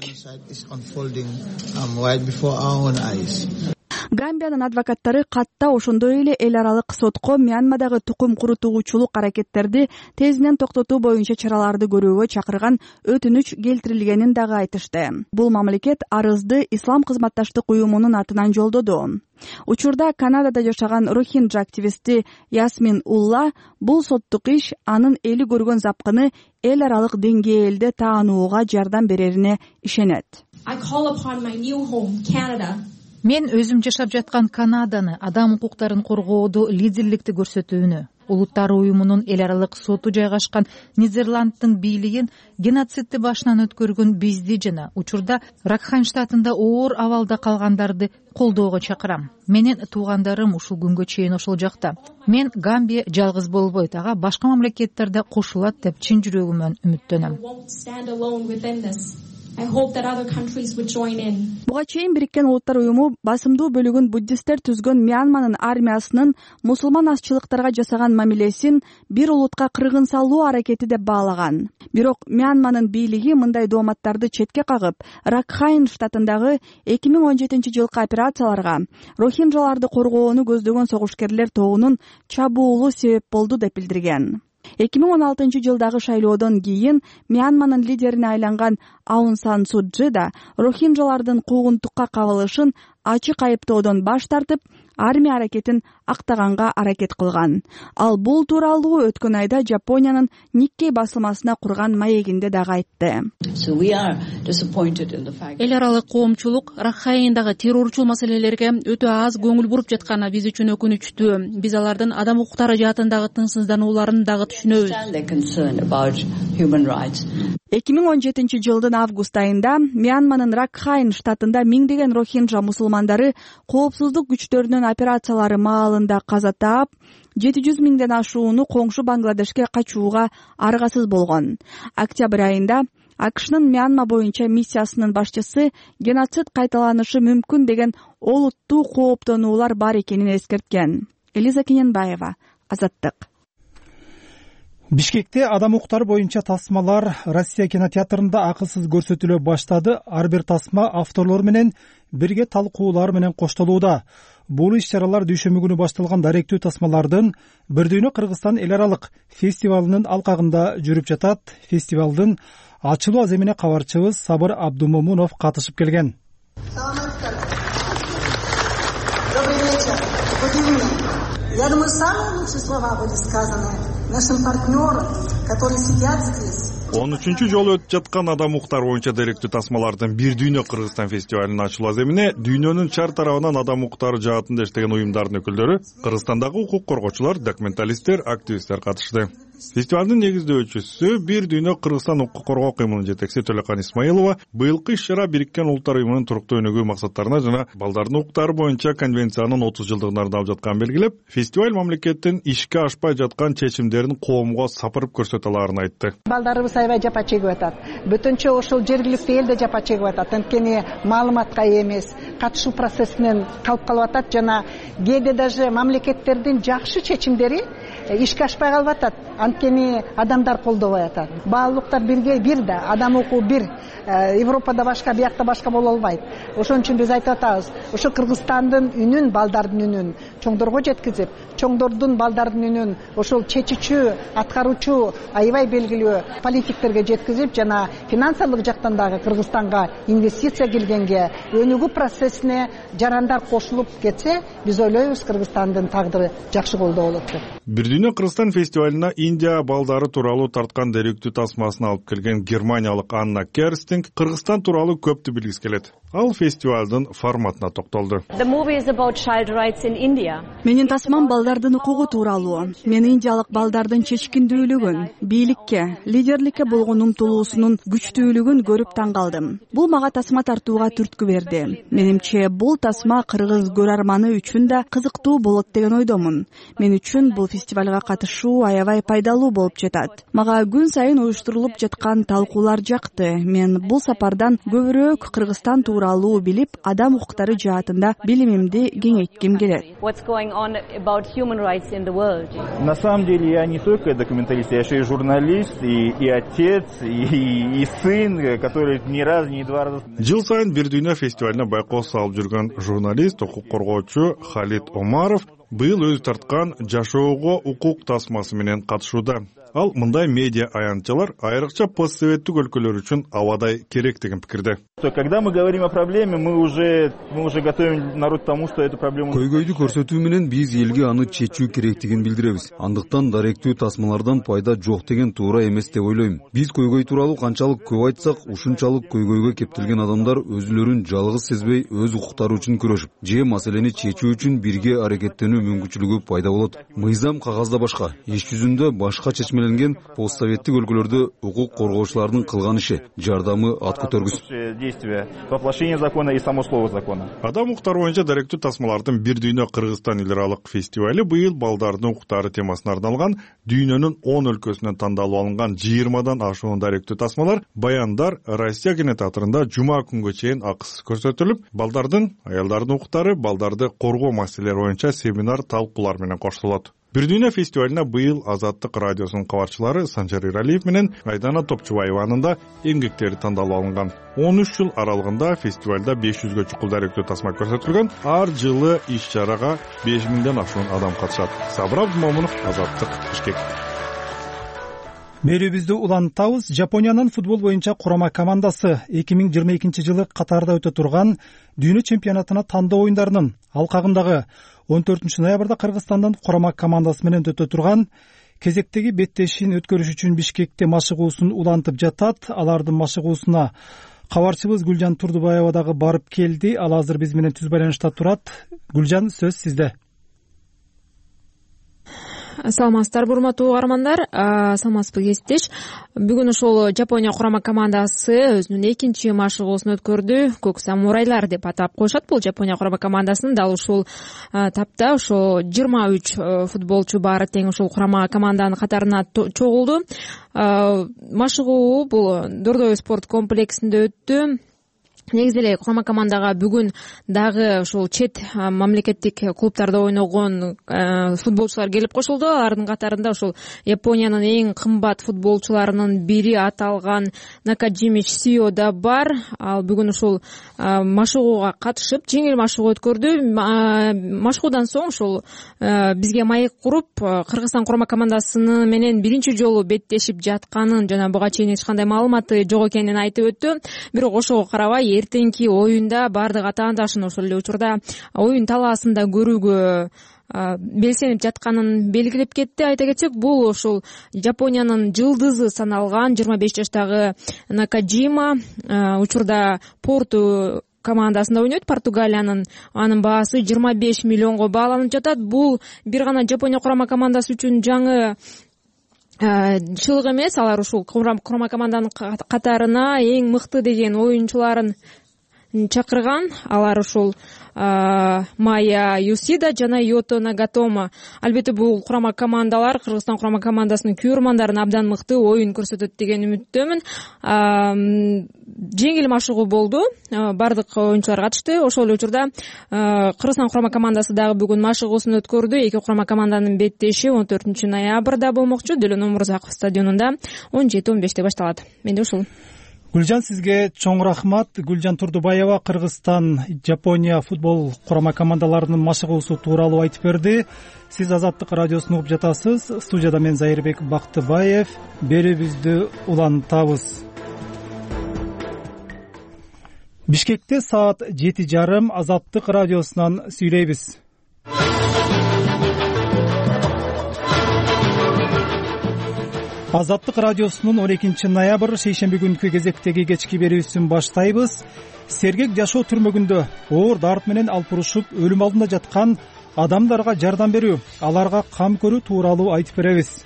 Гамбиянын адвокаттары катта ошондой эле эл аралык сотко Мьянмадагы тукум курутуучулук аракеттерди тезинен токтотуу боюнча чараларды көрүүгө чакырган өтүнүч келтирилгенин дагы айтышты. Бул мамлекет арызды Ислам кызматташтык уюмунун атынан жолдоду. Учурда Канадада жашаган Рохинджа активисти Ясмин Улла бул соттук иш анын эли көргөн запкыны эл аралык деңгээлде таанууга жардам берерине ишенет. Мен өзүм жашап жаткан Канаданы адам укуктарын коргоодо лидерликти көрсөтүүнү, улуттар уюмунун эл аралык соту жайгашкан Нидерланддын бийлигин геноцидти башынан өткөргөн бизди жана учурда Ракхайн штатында оор абалда калгандарды колдоого чакырам. Менин туугандарым ушул күнгө чейин ошол жакта. Мен Гамбия жалгыз болбойт, ага башка мамлекеттерде кошулат деп чын жүрөгүмөн үмүттөнөм. Буга чейин Бириккен Улуттар уюму басымдуу бөлүгүн буддисттер түзгөн Мьянманын армиясынын мусулман азчылыктарга жасаган мамилесин бир улутка кыргын салуу аракети деп баалаган. Бирок Мьянманын бийлиги мындай дооматтарды четке кагып, Ракхайн штатындагы эки миң он жетинчи жылкы операцияларга рохинжаларды коргоону көздөгөн согушкерлер тобунун чабуулу себеп болду деп билдирген. эки миң он алтынчы жылдагы шайлоодон кийин Мьянманын лидерине айланган Аун Сан Су Чжи да рохинжалардын куугунтукка кабылышын ачык айыптоодон баш тартып, армия аракетин актаганга аракет кылган. Ал бул тууралуу өткөн айда Жапониянын Никкей басылмасына курган маегинде дагы айтты. Эл аралык коомчулук Ракхайндагы террорчул маселелерге өтө аз көңүл буруп жатканы биз үчүн өкүнүчтүү. Биз алардын адам укуктары жаатындагы тынчсызданууларын дагы түшүнөбүз. эки миң он жетинчи жылдын август айында Мьянманын Ракхайн штатында миңдеген рохинжа мусулмандары коопсуздук күчтөрүнүн операциялары маалында каза таап, жети жүз миңден ашууну коңшу Бангладешке качууга аргасыз болгон. Октябрь айында АКШнын Мьянма боюнча миссиясынын башчысы геноцид кайталанышы мүмкүн деген олуттуу кооптонуулар бар экенин эскерткен. Элиза Кененбаева, Азаттык. Бишкекте адам укуктары боюнча тасмалар Россия кинотеатрында акысыз көрсөтүлө баштады. Ар бир тасма авторлор менен бирге талкуулар менен коштолууда. Бул иш-чаралар дүйшөмбү күнү башталган даректүү тасмалардын Бир дүйнө Кыргызстан эл аралык фестивалынын алкагында жүрүп жатат. Фестивалдын ачылуу аземине кабарчыбыз Сабыр Абдумомунов катышып келген. Я думаю, самые лучшие слова были сказаны нашим партнерам, которые сидят здесь. он үчүнчү жолу өтүп жаткан адам укуктары боюнча даректүү тасмалардын Бир дүйнө Кыргызстан фестивалынын ачылуу аземине дүйнөнүн чар тарабынан адам укуктары жаатында иштеген уюмдардын өкүлдөрү, Кыргызстандагы укук коргоочулар, документалисттер, активисттер катышты. Фестивалдын негиздөөчүсү Бир дүйнө Кыргызстан укук коргоо кыймылынын жетекчиси Төлөкан Исмаилова быйылкы иш-чара Бириккен Улуттар уюмунун туруктуу өнүгүү максаттарына жана балдардын укуктары боюнча конвенциянын отуз жылдыгына арналып жатканын белгилеп, фестиваль мамлекеттин ишке ашпай жаткан чечимдерин коомго сапырып көрсөтө алаарын айтты. Балдарыбыз аябай жапа чегип атат. Бүтүнчө ошол жергиликтүү эл да жапа чегип атат. Анткени маалыматка ээ эмес, катышуу процессинен калып калып атат жана кээде даже мамлекеттердин жакшы чечимдери ишке ашпай калып атат. Анткени адамдар колдобой атат. Баалуулуктар бирге бир да, адам укугу бир. Европада башка, биякта башка боло албайт. Ошон үчүн биз айтып атабыз, ошо Кыргызстандын үнүн, балдардын үнүн чоңдорго жеткизип, чоңдордун балдардын үнүн ошол чечүүчү, аткаруучу, аябай белгилүү политиктерге жеткизип, жана финансылык жактан дагы Кыргызстанга инвестиция келгенге, өнүгүү процессине жарандар кошулуп кетсе, биз ойлойбуз Кыргызстандын тагдыры жакшы колдо болот деп. Бир дүйнө Кыргызстан фестивалына Индия балдары тууралуу тарткан деректүү тасмасын алып келген германиялык Анна Керстинг Кыргызстан тууралуу көптү билгиси келет. Ал фестивалдын форматына токтолду. Менин тасмам балдардын укугу тууралуу. Мен индиялык балдардын чечкиндүүлүгүн, бийликке, лидерликке болгон умтулуусунун күчтүүлүгүн көрүп таң калдым. Бул мага тасма тартууга түрткү берди. Менимче бул тасма кыргыз көрөрманы үчүн да кызыктуу болот деген ойдомун. Мен үчүн бул фестивалга катышуу аябай пайдалуу болуп жатат. Мага күн сайын уюштурулуп жаткан талкуулар жакты. Мен бул сапардан көбүрөөк Кыргызстан тууралуу билип, адам укуктары жаатында билимимди кеңейтким келет. На самом деле я не только документалист, я еще и журналист, и, и отец, и, и сын, который ни разу, ни два раза... Жыл сайын Бир дүйнө фестивалына байкоо салып жүргөн журналист, укук коргоочу Халид Омаров быйыл өзү тарткан жашоого укук тасмасы менен катышууда. Ал мындай медиа аянтчалар айрыкча постсоветтик өлкөлөр үчүн абадай керек деген пикирде. Когда мы говорим о проблеме, мы уже мы уже готовим народ к тому, что эту проблему... Көйгөйдү көрсөтүү менен биз элге аны чечүү керектигин билдиребиз. Андыктан даректүү тасмалардан пайда жок деген туура эмес деп ойлойм. Биз көйгөй тууралуу канчалык көп айтсак, ушунчалык көйгөйгө кептелген адамдар өзүлөрүн жалгыз сезбей, өз укуктары үчүн күрөшүп, же маселени чечүү үчүн бирге аракеттенүү мүмкүнчүлүгү пайда болот. Мыйзам кагазда башка, иш жүзүндө башка чечмеленген постсоветтик өлкөлөрдө укук коргоочулардын кылган иши, жардамы ат көтөргүс. Воплощение закона и само слово закона. Адам укуктары боюнча даректүү тасмалардын Бир дүйнө Кыргызстан эл аралык фестивали быйыл балдардын укуктары темасына арналган дүйнөнүн он өлкөсүнөн тандалып алынган жыйырмадан ашуун даректүү тасмалар, баяндар Россия кинотеатрында жума күнгө чейин акысыз көрсөтүлүп, балдардын, аялдардын укуктары, балдарды коргоо маселелери боюнча семинар талкуулар менен коштолот. Бир дүйнө фестивалына быйыл Азаттык радиосунун кабарчылары Санжар Иралиев менен Айдана Топчубаеванын да эмгектери тандалып алынган. он үч жыл аралыгында фестивалда беш жүзгө чукул даректүү тасма көрсөтүлгөн. Ар жылы иш-чарага беш миңден ашуун адам катышат. Сабыр Абдымомунов, Азаттык, Бишкек. Берүүбүздү улантабыз. Жапониянын футбол боюнча курама командасы эки миң жыйырма экинчи жылы Катарда өтө турган дүйнө чемпионатына тандоо оюндарынын алкагындагы он төртүнчү ноябрда Кыргызстандын курама командасы менен өтө турган кезектеги беттешин өткөрүш үчүн Бишкекте машыгуусун улантып жатат. Алардын машыгуусуна кабарчыбыз Гүлжан Турдубаева дагы барып келди. Ал азыр биз менен түз байланышта турат. Гүлжан, сөз сизде. Саламатсыздарбы, урматтуу угармандар. Саламатсызбы кесиптеш. Бүгүн ошол Жапония курама командасы өзүнүн экинчи машыгуусун өткөрдү. Көк самурайлар деп атап коюшат бул Жапония курама командасын. Дал ушул тапта ошо жыйырма үч футболчу баары тең ушул курама команданын катарына чогулду. Машыгуу бул Дордой спорт комплексинде өттү. Негизи эле курама командага бүгүн дагы ушул чет мамлекеттик клубтарда ойногон футболчулар келип кошулду. Алардын катарында ушул Япониянын эң кымбат футболчуларынын бири аталган Накаджими Сио да бар. Ал бүгүн ушул машыгууга катышып, жеңил машыгуу өткөрдү. Машыгуудан соң ушул бизге маек куруп, Кыргызстан курама командасыны менен биринчи жолу беттешип жатканын жана буга чейин эч кандай маалыматы жок экенин айтып өттү. Бирок ошого карабай эртеңки оюнда баардык атаандашын ошол эле учурда оюн талаасында көрүүгө белсенип жатканын белгилеп кетти. Айта кетсек, бул ошол Жапониянын жылдызы саналган жыйырма беш жаштагы Накаджима учурда Порту командасында ойнойт, Португалиянын. Анын баасы жыйырма беш миллионго бааланып жатат. Бул бир гана Жапония курама командасы үчүн жаңы чылык эмес, алар ушул курма команданын катарына эң мыкты деген оюнчуларын чакырган. Алар ушул Майя Юсида жана Йото Нагатома. Албетте бул курама командалар Кыргызстан курама командасынын күйөрмандарын абдан мыкты оюн көрсөтөт деген үмүттөмүн. Жеңил машыгуу болду. Бардык оюнчулар катышты. Ошол эле учурда Кыргызстан курама командасы дагы бүгүн машыгуусун өткөрдү. Эки курама команданын беттеши он төртүнчү ноябрда болмокчу. Делен Омурзаков стадионунда он жети он беште башталат. Менде ушул. Гүлжан, сизге чоң рахмат. Гүлжан Турдубаева Кыргызстан Жапония футбол курама командаларынын машыгуусу тууралуу айтып берди. Сиз Азаттык радиосун угуп жатасыз. Студияда мен Зайырбек Бактыбаев. Берүүбүздү улантабыз. Бишкекте саат жети жарым Азаттык радиосунан сүйлөйбүз. Азаттык радиосунун он экинчи ноябрь шейшемби күнкү кезектеги кечки берүүсүн баштайбыз. Сергек жашоо түрмөгүндө оор дарт менен алпурушуп өлүм алдында жаткан адамдарга жардам берүү, аларга кам көрүү тууралуу айтып беребиз.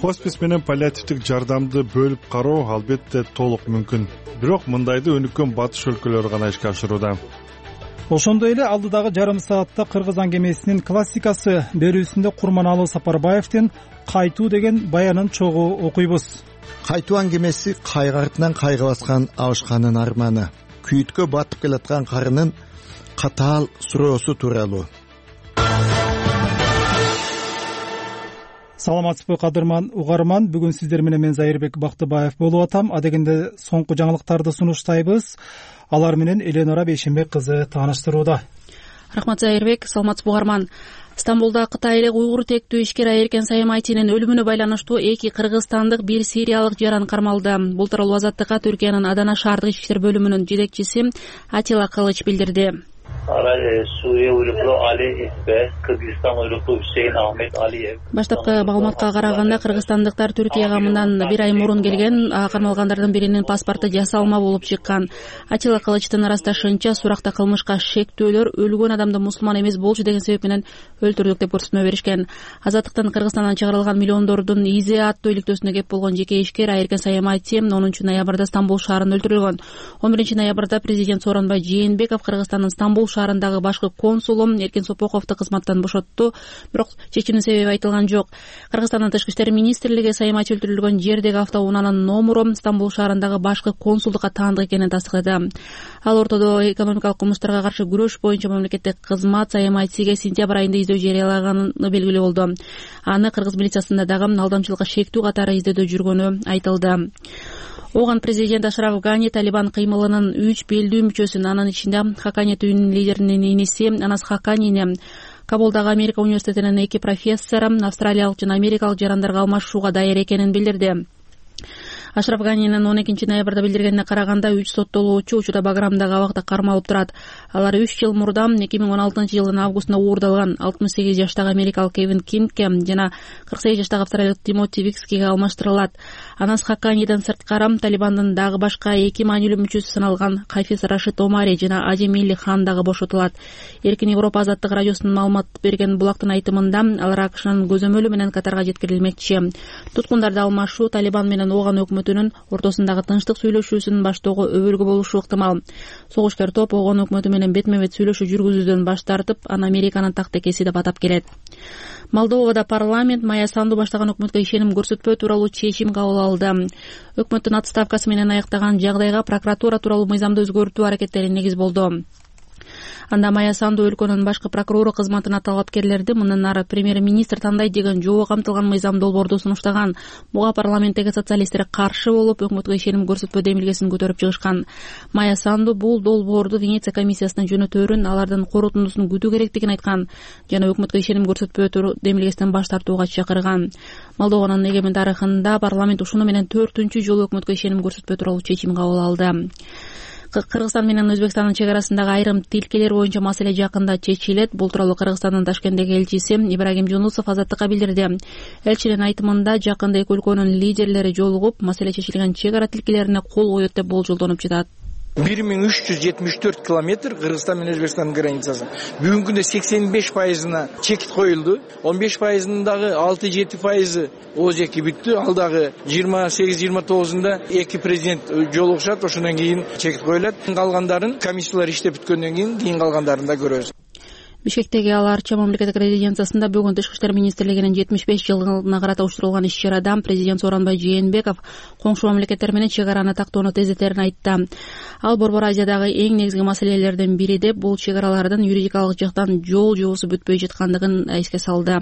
Хоспис менен паллиативдик жардамды бөлүп кароо албетте толук мүмкүн. Бирок мындайды өнүккөн батыш өлкөлөрү гана ишке ашырууда. Ошондой эле алдыдагы жарым саатта Кыргыз аңгемесинин классикасы берүүсүндө Курманалы Сапарбаевдин кайтуу деген баянын чогуу окуйбуз. Кайтуу аңгемеси кайгы артынан кайгы баскан абышканын арманы, күйүткө батып келаткан карынын катаал суроосу тууралуу. Саламатсызбы кадырман угарман, бүгүн сиздер менен мен Зайырбек Бактыбаев болуп атам. Адегенде соңку жаңылыктарды сунуштайбыз. Алар менен Эленора Бейшенбек кызы тааныштырууда. Рахмат Зайырбек, саламатсызбы угарман. Стамбулда кытайлык уйгур тектүү ишкер Айеркен Саямайтинин өлүмүнө байланыштуу эки кыргызстандык, бир сириялык жаран кармалды. Бул тууралуу Азаттыкка Түркиянын Адана шаардык ички иштер бөлүмүнүн жетекчиси Атила Кылыч билдирди. Suriye uyruklu Ali İsbe, Kırgızistan uyruklu Hüseyin Ahmet Aliyev. Баштапкы маалыматка караганда кыргызстандыктар Түркияга мындан бир ай мурун келген, кармалгандардын биринин паспорту жасалма болуп чыккан. Атила Кылычтын ырасташынча, суракта кылмышка шектөөлөр өлгөн адамды мусулман эмес болчу деген себеп менен өлтүрдүк деп көрсөтмө беришкен. Азаттыктан Кыргызстандан чыгарылган миллиондордун изи аттуу иликтөөсүнө кеп болгон жеке ишкер Айеркен Саямайтин онунчу ноябрда Стамбул шаарында өлтүрүлгөн. он биринчи ноябрда президент Сооронбай Жээнбеков Кыргызстандын Стамбул шаарындагы башкы консулу Эркин Сопоковду кызматтан бошотту, бирок чечимдин себеби айтылган жок. Кыргызстандын тышкы иштер министрлиги Саямайтин өлтүрүлгөн жердеги автоунаанын номуру Стамбул шаарындагы башкы консулдукка таандык экенин тастыктады. Ал ортодо экономикалык кылмыштарга каршы күрөш боюнча мамлекеттик кызмат Саямайтинге сентябрь айында издөө жарыялаганы белгилүү болду. Аны кыргыз милициясында дагы алдамчылыкка шектүү катары издөөдө жүргөнү айтылды. Оган президент Ашраф Гани Талибан кыймылынын үч белдүү мүчөсүн, анын ичинде Хакани түйүнүн лидеринин иниси Анас Хаканини, Кабулдагы Америка университетинин эки профессору австралиялык жана америкалык жарандарга алмашууга даяр экенин билдирди. Ашраф Ганинин он экинчи ноябрда билдиргенине караганда үч соттолуучу учурда Баграмдагы абакта кармалып турат. Алар үч жыл мурда эки миң он алтынчы жылдын августунда уурдалган алтымыш сегиз жаштагы америкалык Кевин Кингке жана кырк сегиз жаштагы австралиялык Тимоти Викскиге алмаштырылат. Анас Хаканиден сырткары Талибандын дагы башка эки маанилүү мүчөсү саналган Хафиз Рашид Омари жана Аджи Милли Хан дагы бошотулат. Эркин Европа азаттык радиосунун маалымат берген Булактын айтымында алар АКШнын көзөмөлү менен Катарга жеткирилмекчи. Туткундарды алмашуу Талибан менен Оган өкмөтүнүн ортосундагы тынчтык сүйлөшүүсүн баштоого өбөлгө болушу ыктымал. Согушкер топ Оган өкмөтү менен бетме бет сүйлөшүү жүргүзүүдөн баш тартып, аны Американын тактекеси деп атап келет. Молдовада парламент Майя Санду баштаган өкмөткө ишеним көрсөтпөө тууралуу чечим кабыл алды. Өкмөттүн отставкасы менен аяктаган жагдайга прокуратура тууралуу мыйзамды өзгөртүү аракеттери негиз болду. Анда Майя Санду өлкөнүн башкы прокурору кызматына талапкерлерди мындан ары премьер-министр тандайт деген жобо камтылган мыйзам долбоорду сунуштаган. Буга парламенттеги социалисттер каршы болуп, өкмөткө ишеним көрсөтпөө демилгесин көтөрүп чыгышкан. Майя Санду бул долбоорду Венеция комиссиясынын жөнөтөөрүн, алардын корутундусун күтүү керектигин айткан жана өкмөткө ишеним көрсөтпөө демилгесинен баш тартууга чакырган. Молдованын эгемен тарыхында парламент ушуну менен төртүнчү жолу өкмөткө ишеним көрсөтпөө тууралуу чечим кабыл алды. Кыргызстан менен Өзбекстандын чек арасындагы айрым тилкелер боюнча маселе жакында чечилет. Бул тууралуу Кыргызстандын Ташкенттеги элчиси Ибрагим Жунусов Азаттыкка билдирди. Элчинин айтымында жакында эки өлкөнүн лидерлери жолугуп, маселе чечилген чек ара тилкелерине кол коет деп болжолдонуп жатат. бир миң үч жүз жетимиш төрт километр Кыргызстан менен Өзбекстандын границасы. Бүгүнкү күндө сексен беш пайызына чекит коюлду. он беш пайызынын дагы алты жети пайызы ол жеки бүттү. Ал дагы жыйырма сегиз жыйырма тогузунда эки президент жолугушат, ошондон кийин чекит коюлат. Калгандарын комиссиялар иштеп бүткөндөн кийин кийин калгандарын да көрөбүз. Бишкектеги Ала Арча мамлекеттик резиденциясында бүгүн Тышкы иштер министрлигинин жетимиш беш жылдыгына карата уюштурулган иш-чарада президент Сооронбай Жээнбеков коңшу мамлекеттер менен чек араны тактоону тездетерин айтты. Ал Борбор Азиядагы эң негизги маселелердин бири деп бул чек аралардын юридикалык жактан жол жуусу бүтпөй жаткандыгын эске салды.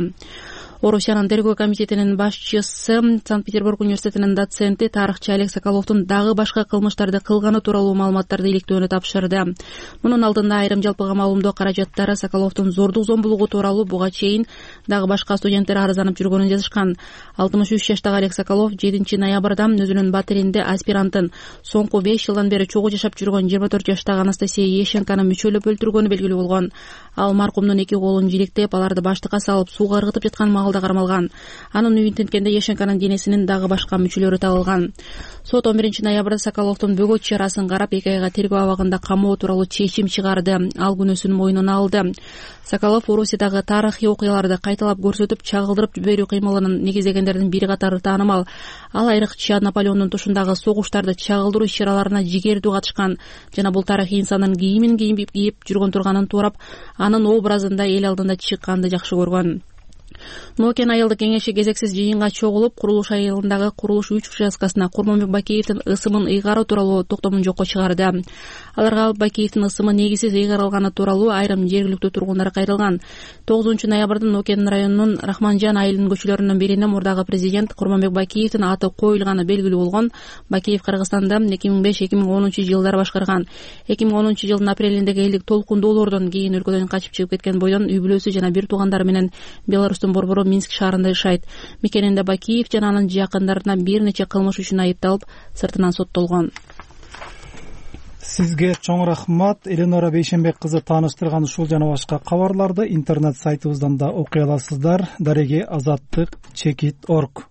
Орусиянын тергөө комитетинин башчысы, Санкт-Петербург университетинин доценти, тарыхчы Олег Соколовдун дагы башка кылмыштарды кылганы тууралуу маалыматтарды иликтөөнү тапшырды. Мунун алдында айрым жалпыга маалымдоо каражаттары Соколовдун зордук зомбулугу тууралуу буга чейин дагы башка студенттер арызданып жүргөнүн жазышкан. алтымыш үч жаштагы Олег Соколов жетинчи ноябрда өзүнүн батиринде аспирантын, соңку беш жылдан бери чогуу жашап жүргөн жыйырма төрт жаштагы Анастасия Ещенканы мүчөлөп өлтүргөнү белгилүү болгон. Ал маркумдун эки колун жилектеп, аларды баштыкка салып сууга ыргытып жаткан маалда кармалган. Анын үйүн тинткенде Ещенканын денесинин дагы башка мүчөлөрү табылган. Сот он биринчи ноябрда Соколовдун бөгөт чарасын карап, эки айга тергөө абагында камоо тууралуу чечим чыгарды. Ал күнөөсүн мойнуна алды. Соколов Орусиядагы тарыхый окуяларды кайталап көрсөтүп, чагылдырып жиберүү кыймылынын негиздегендердин бири катары таанымал. Ал айрыкча Наполеондун тушундагы согуштарды чагылдыруу иш-чараларына жигердүү катышкан жана бул тарыхый инсандын кийимин кийип кийип жүргөн турганын туурап, анын образында эл алдында чыкканды жакшы көргөн. Нокен айылдык кеңеши кезексиз жыйынга чогулуп, курулуш айылындагы курулуш үч участкасына Курманбек Бакеевдин ысымын ыйгаруу тууралуу токтомун жокко чыгарды. Аларга Бакеевдин ысымы негизсиз ыйгарылганы тууралуу айрым жергиликтүү тургундар кайрылган. тогузунчу ноябрда Нокен районунун Рахманжан айылынын көчөлөрүнүн биринде мурдагы президент Курманбек Бакеевдин аты коюлганы белгилүү болгон. Бакеев Кыргызстанда эки миң беш эки миң онунчу жылдары башкарган. эки миң онунчу жылдын апрелиндеги элдик толкундоолордон кийин өлкөдөн качып чыгып кеткен бойдон үй бүлөсү жана бир туугандары менен Беларустун борбору Минск шаарында жашайт. Мекенинде Бакеев жана анын жакындарына бир нече кылмыш үчүн айыпталып, сыртынан соттолгон. Сизге чоң рахмат. Эленора Бейшенбек кызы тааныштырган ушул жана башка кабарларды интернет сайтыбыздан да окуй аласыздар. Дареги азаттык чекит точка орг.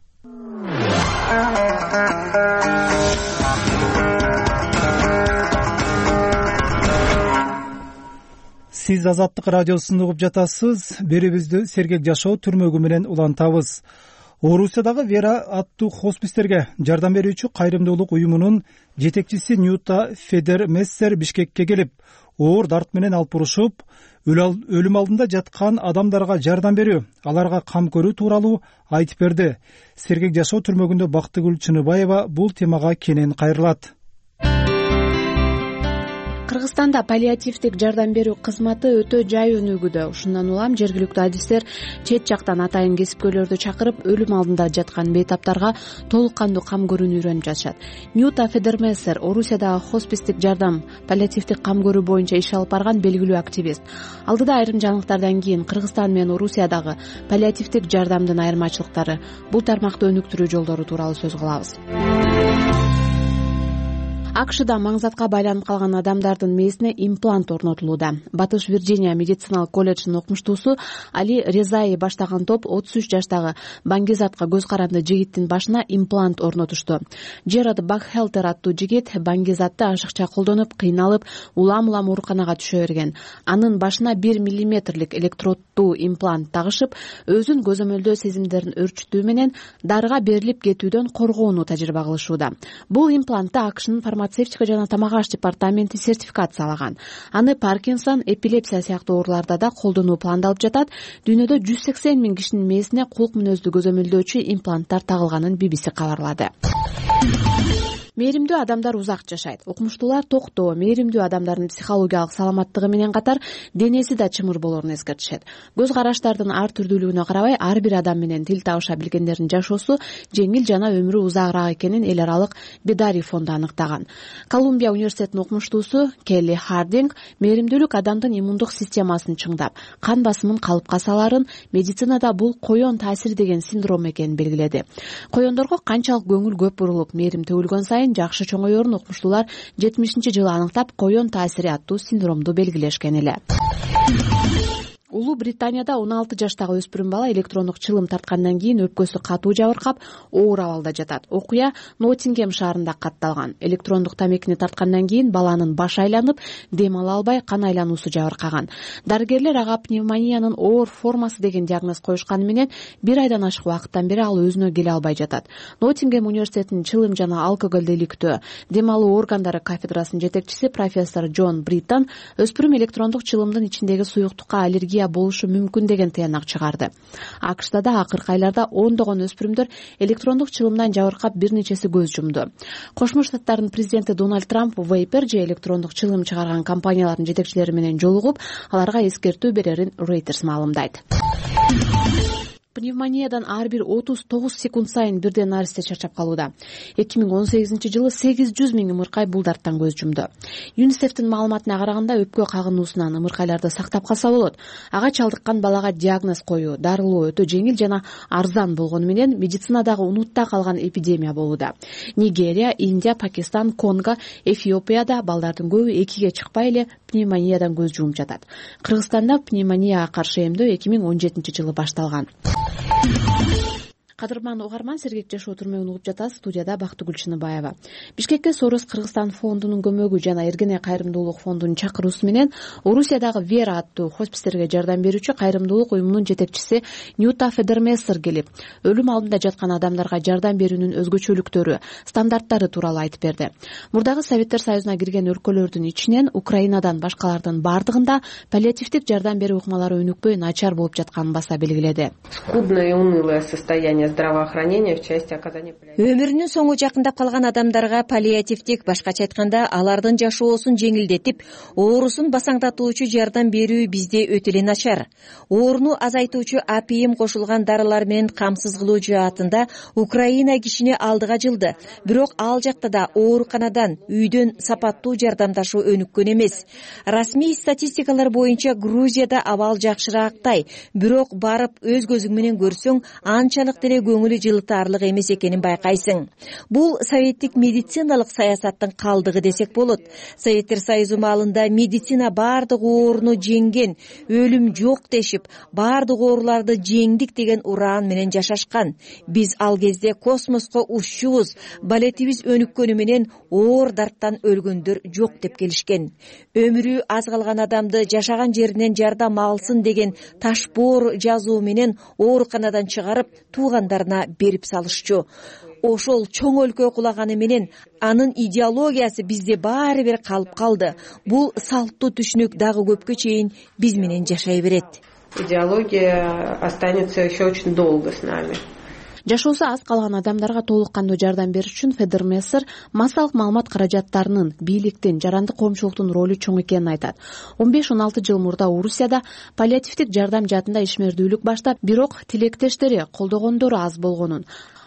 Сиз Азаттык радиосун угуп жатасыз. Берибизди сергек жашоо түрмөгү менен улантабыз. Орусиядагы Вера аттуу хоспистерге жардам берүүчү кайрымдуулук уюмунун жетекчиси Ньюта Федермессер Бишкекке келип, оор дарт менен алып урушуп, өлүм алдында жаткан адамдарга жардам берүү, аларга кам көрүү тууралуу айтып берди. Сергек жашоо түрмөгүндө Бактыгүл Чыныбаева бул темага кенен кайрылат. Кыргызстанда паллиативдик жардам берүү кызматы өтө жай өнүгүүдө. Ушундан улам жергиликтүү адистер чет жактан атайын кесипкөйлөрдү чакырып, өлүм алдында жаткан бейтаптарга толук кандуу кам көрүүнү үйрөнүп жатышат. Ньюта Федермессер Орусиядагы хоспистик жардам, паллиативдик кам көрүү боюнча иш алып барган белгилүү активист. Алдыда айрым жаңылыктардан кийин Кыргызстан менен Орусиядагы паллиативдик жардамдын айырмачылыктары, бул тармакты өнүктүрүү жолдору тууралуу сөз кылабыз. АКШда маңзатка байланып калган адамдардын мээсине имплант орнотулууда. Батыш Вирджиния медициналык колледжинин окумуштуусу Али Резаи баштаган топ отуз үч жаштагы Баңгизатка көз каранды жигиттин башына имплант орнотушту. Джерад Бакхелтер аттуу жигит Баңгизатты ашыкча колдонуп, кыйналып, улам-улам ооруканага түшө берген. Анын башына бир миллиметрлик электроддуу имплант тагышып, өзүн көзөмөлдөө сезимдерин өрчүтүү менен дарыга берилип кетүүдөн коргоону тажрыйба кылышууда. Бул имплантты АКШнын фармацевтика жана тамак аш департаменти сертификациялаган. Аны Паркинсон, эпилепсия сыяктуу ооруларда да колдонуу пландалып жатат. Дүйнөдө жүз сексен миң кишинин мээсине кулк мүнөздүү көзөмөлдөөчү импланттар тагылганын би би си кабарлады. Мээримдүү адамдар узак жашайт. Окумуштуулар токтоо, мээримдүү адамдардын психологиялык саламаттыгы менен катар денеси да чымыр болоорун эскертишет. Көз караштардын ар түрдүүлүгүнө карабай, ар бир адам менен тил табыша билгендердин жашоосу жеңил жана өмүрү узагыраак экенин эл аралык Бедари фонду аныктаган. Колумбия университетинин окумуштуусу Келли Хардинг мээримдүүлүк адамдын иммундук системасын чыңдап, кан басымын калыпка саларын, медицинада бул коён таасири деген синдром экенин белгиледи. Коёндорго канчалык көңүл көп бурулуп, мээрим төгүлгөн сайын жакшы чоңоёрун окумуштуулар жетимишинчи жылы аныктап, коён таасири аттуу синдромду белгилешкен эле. Улуу Британияда он алты жаштагы өспүрүм бала электрондук чылым тарткандан кийин өпкөсү катуу жабыркап, оор абалда жатат. Окуя Ноттингем шаарында катталган. Электрондук тамекини тарткандан кийин баланын башы айланып, дем ала албай, кан айлануусу жабыркаган. Дарыгерлер ага пневмониянын оор формасы деген диагноз коюшканы менен бир айдан ашык убакыттан бери ал өзүнө келе албай жатат. Ноттингем университетинин чылым жана алкоголду иликтөө, дем алуу органдары кафедрасынын жетекчиси профессор Джон Бриттон өспүрүм электрондук чылымдын ичиндеги суюктукка аллергия болушу мүмкүн деген тыянак чыгарды. АКШда да акыркы айларда ондогон өспүрүмдөр электрондук чылымдан жабыркап, бир нечеси көз жумду. Кошмо Штаттардын президенти Дональд Трамп Вейпер же электрондук чылым чыгарган компаниялардын жетекчилери менен жолугуп, аларга эскертүү берерин Reuters маалымдайт. Пневмониядан ар бир отуз тогуз секунд сайын бирден наристе чарчап калууда. эки миң он сегизинчи жылы сегиз жүз миң ымыркай бул дарттан көз жумду. ЮНИСЕФтин маалыматына караганда, өпкө кагынуусунан ымыркайларды сактап калса болот. Ага чалдыккан балага диагноз коюу, дарылоо өтө жеңил жана арзан болгону менен медицинадагы унутта калган эпидемия болууда. Нигерия, Индия, Пакистан, Конго, Эфиопияда балдардын көбү экиге чыкпай эле пневмониядан көз жумуп жатат. Кыргызстанда пневмонияга каршы эмдөө эки миң он жетинчи жылы башталган. Кадырман угарман, Сергек Жашоо түрмөгүн угуп жатасыз. Студияда Бактыгүл Чыныбаева. Бишкекке Сорос Кыргызстан фондунун көмөгү жана Эргене кайрымдуулук фондунун чакыруусу менен Орусиядагы Вера аттуу хоспистерге жардам берүүчү кайрымдуулук уюмунун жетекчиси Ньюта Федермессер келип, өлүм алдында жаткан адамдарга жардам берүүнүн өзгөчөлүктөрү, стандарттары тууралуу айтып берди. Мурдагы Советтер Союзуна кирген өлкөлөрдүн ичинен Украинадан башкалардын бардыгында паллиативдик жардам берүү ыкмалары өнүкпөй, начар болуп жатканын баса белгиледи. Скудное и унылое состояние здравоохранения в части оказания паллиативной. Өмүрүнүн соңу жакындап калган адамдарга паллиативдик, башкача айтканда, алардын жашоосун жеңилдетип, оорусун басаңдатуучу жардам берүү бизде өтө эле начар. Ооруну азайтуучу апийим кошулган дарылар менен камсыз кылуу жаатында Украина кишини алдыга жылды. Бирок ал жакта да ооруканадан, үйдөн сапаттуу жардамдашуу өнүккөн эмес. Расмий статистикалар боюнча Грузияда абал жакшыраактай, бирок барып өз көзүң менен көрсөң, анчалык деле көңүлү жылытаарлык эмес экенин байкайсың. Бул советтик медициналык саясаттын калдыгы десек болот. Советтер Союзу маалында медицина баардык ооруну жеңген, өлүм жок дешип, баардык ооруларды жеңдик деген ураан менен жашашкан. Биз ал кезде космоско уччубуз, балетибиз өнүккөнү менен оор дарттан өлгөндөр жок деп келишкен. Өмүрү аз калган адамды жашаган жеринен жардам алсын деген ташбоор жазуу менен ооруканадан чыгарып, туугандарына берип салышчу. Ошол чоң өлкө кулаганы менен анын идеологиясы бизде баары бир калып калды. Бул салттуу түшүнүк дагы көпкө чейин биз менен жашай берет. Идеология останется еще очень долго с нами. Жашоосу аз калган адамдарга толук кандуу жардам бериш үчүн Федермессер массалык маалымат каражаттарынын, бийликтин, жарандык коомчулуктун ролу чоң экенин айтат. он беш он алты жыл мурда Орусияда паллиативдик жардам жаатында ишмердүүлүк баштап, бирок тилектештери, колдогондору аз болгонун,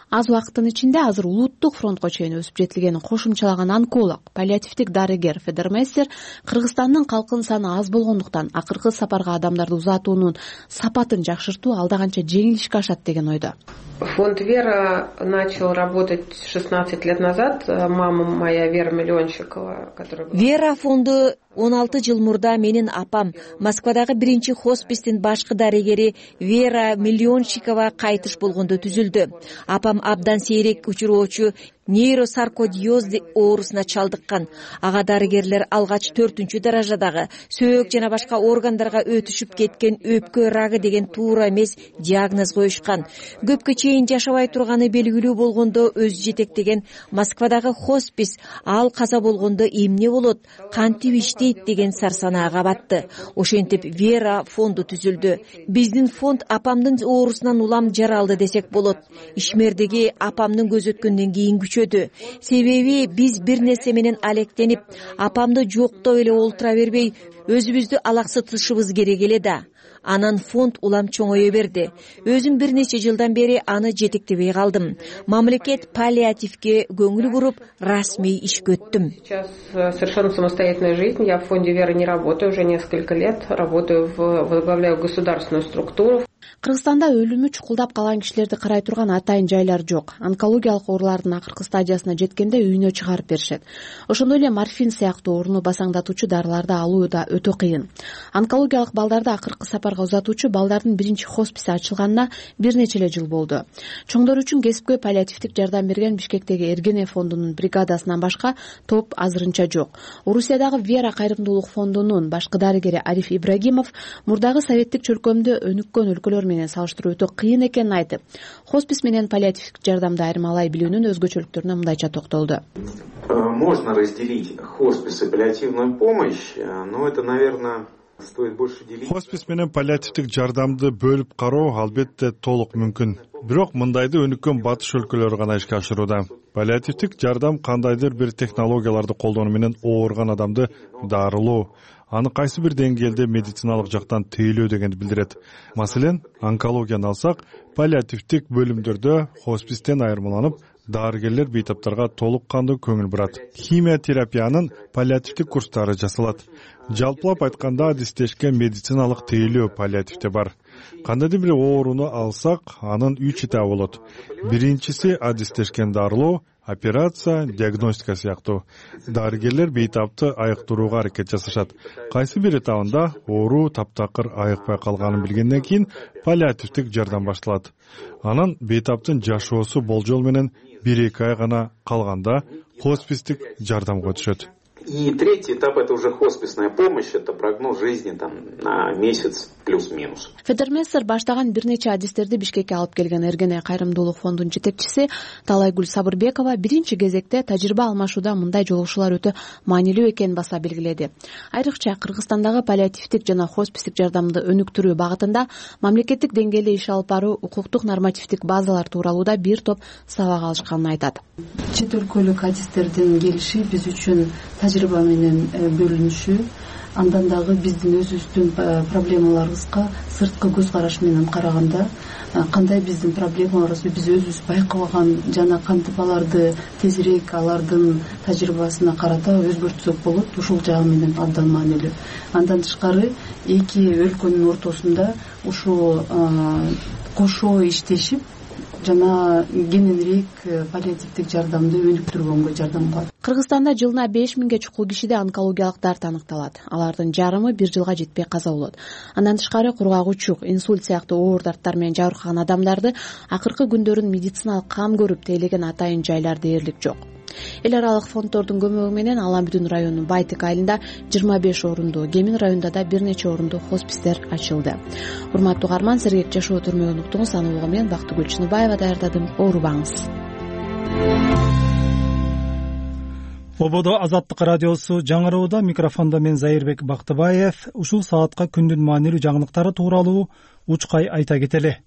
аз убакыттын ичинде азыр улуттук фронтко чейин өсүп жетилгенин кошумчалаган онколог, паллиативдик дарыгер Федермессер Кыргызстандын калкынын саны аз болгондуктан акыркы сапарга адамдарды узатуунун сапатын жакшыртуу алда канча жеңил ишке ашат деген ойдо. Фонд Вера начал работать шестнадцать лет назад. Мама моя Вера Миллионщикова, которая... Вера фонду он алты жыл мурда менин апам Москвадагы биринчи хоспистин башкы дарыгери Вера Миллионщикова кайтыш болгондо түзүлдү. Апам абдан сейрек учуроочу нейросаркодиоз оорусуна чалдыккан. Ага дарыгерлер алгач төртүнчү даражадагы сөөк жана башка органдарга өтүшүп кеткен өпкө рагы деген туура эмес диагноз коюшкан. Көпкө чейин жашабай турганы белгилүү болгондо өзү жетектеген Москвадагы хоспис ал каза болгондо эмне болот, кантип иштейт деген сарсанаага батты. Ошентип Вера фонду түзүлдү. Биздин фонд апамдын оорусунан улам жаралды десек болот. Ишмердеги апамдын көз өткөндөн кийин күчөдү. Себеби биз бир нерсе менен алектенип, апамды жоктоп эле олтура бербей, өзүбүздү алаксытышыбыз керек эле да. Анан фонд улам чоңое берди. Өзүм бир нече жылдан бери аны жетектебей калдым. Мамлекет паллиативге көңүл буруп, расмий ишке өттүм. Сейчас совершенно самостоятельная жизнь. Я в фонде Вера не работаю уже несколько лет. Работаю в возглавляю государственную структуру. Кыргызстанда өлүмү чукулдап калган кишилерди карай турган атайын жайлар жок. Онкологиялык оорулардын акыркы стадиясына жеткенде үйүнө чыгарып беришет. Ошондой эле морфин сыяктуу ооруну басаңдатуучу дарыларды алуу да өтө кыйын. Онкологиялык балдарды акыркы сапарга узатуучу балдардын биринчи хосписи ачылганына бир нече эле жыл болду. Чоңдор үчүн кесипкөй паллиативдик жардам берген Бишкектеги Эргене фондунун бригадасынан башка топ азырынча жок. Орусиядагы Вера кайрымдуулук фондунун башкы дарыгери Ариф Ибрагимов мурдагы советтик чөлкөмдө өнүккөн өлкөлөр менен салыштыруу өтө кыйын экенин айтып, хоспис менен паллиативдик жардамды айырмалай билүүнүн өзгөчөлүктөрүнө мындайча токтолду. Можно разделить хоспис и паллиативную помощь, но это, наверное, стоит больше делить. Хоспис менен паллиативдик жардамды бөлүп кароо албетте толук мүмкүн. Бирок мындайды өнүккөн батыш өлкөлөрү гана ишке ашырууда. Паллиативдик жардам кандайдыр бир технологияларды колдонуу менен ооруган адамды дарылоо, аны кайсы бир деңгээлде медициналык жактан тейлөө дегенди билдирет. Маселен, онкологияны алсак, паллиативдик бөлүмдөрдө хоспистен айырмаланып, дарыгерлер бейтаптарга толук кандуу көңүл бурат. Химия терапиянын паллиативдик курстары жасалат. Жалпылап айтканда, адистешкен медициналык тейлөө паллиативде бар. Кандайдыр бир ооруну алсак, анын үч этабы болот. Биринчиси адистешкен дарылоо, операция, диагностика сыяктуу. Дарыгерлер бейтапты айыктырууга аракет жасашат. Кайсы бир этабында оору таптакыр айыкпай калганын билгенден кийин паллиативдик жардам башталат. Анан бейтаптын жашоосу болжол менен бир эки ай гана калганда хоспистик жардамга өтүшөт. И третий этап — это уже хосписная помощь, это прогноз жизни там на месяц плюс-минус. Федермессер баштаган бир нече адистерди Бишкекке алып келген Эргене кайрымдуулук фондунун жетекчиси Талайгүл Сабырбекова биринчи кезекте тажрыйба алмашууда мындай жолугушуулар өтө маанилүү экенин баса белгиледи. Айрыкча Кыргызстандагы паллиативдик жана хоспистик жардамды өнүктүрүү багытында мамлекеттик деңгээлде иш алып баруу, укуктук нормативдик базалар тууралууда бир топ сабак алышканын айтат. Чет өлкөлүк адистердин келиши биз үчүн тажрыйба менен бөлүнүшү, андан дагы биздин өзүбүздүн проблемаларыбызга сырткы көз караш менен караганда кандай биздин проблемаларыбызды биз өзүбүз байкабаган жана кантип аларды тезирээк алардын тажрыйбасына карата өзгөртсөк болот, ушул жагы менен абдан маанилүү. Андан тышкары эки өлкөнүн ортосунда ушу кошо иштешип жана кененирээк паллиативдик жардамды өнүктүргөнгө жардам кылат. Кыргызстанда жылына беш миңге чукул кишиде онкологиялык дарт аныкталат. Алардын жарымы бир жылга жетпей каза болот. Андан тышкары кургагучук, инсульт сыяктуу оор дарттар менен жабыркаган адамдарды акыркы күндөрүн медициналык кам көрүп тейлеген атайын жайлар дээрлик жок. Эл аралык фонддордун көмөгү менен Алан Бүдүн районунун Байтек айылында жыйырма беш орундуу, Кемин районунда да бир нече орундуу хоспистер ачылды. Урматтуу угарман, сергек жашоо түрмөгүн уктуңуз. Аны улгу мен Бактыгүл Чыныбаева даярдадым. Оорубаңыз. Ободо Азаттык радиосу жаңырууда. Микрофондо мен Зайырбек Бактыбаев. Ушул саатка күндүн маанилүү жаңылыктары тууралуу учкай айта кетели.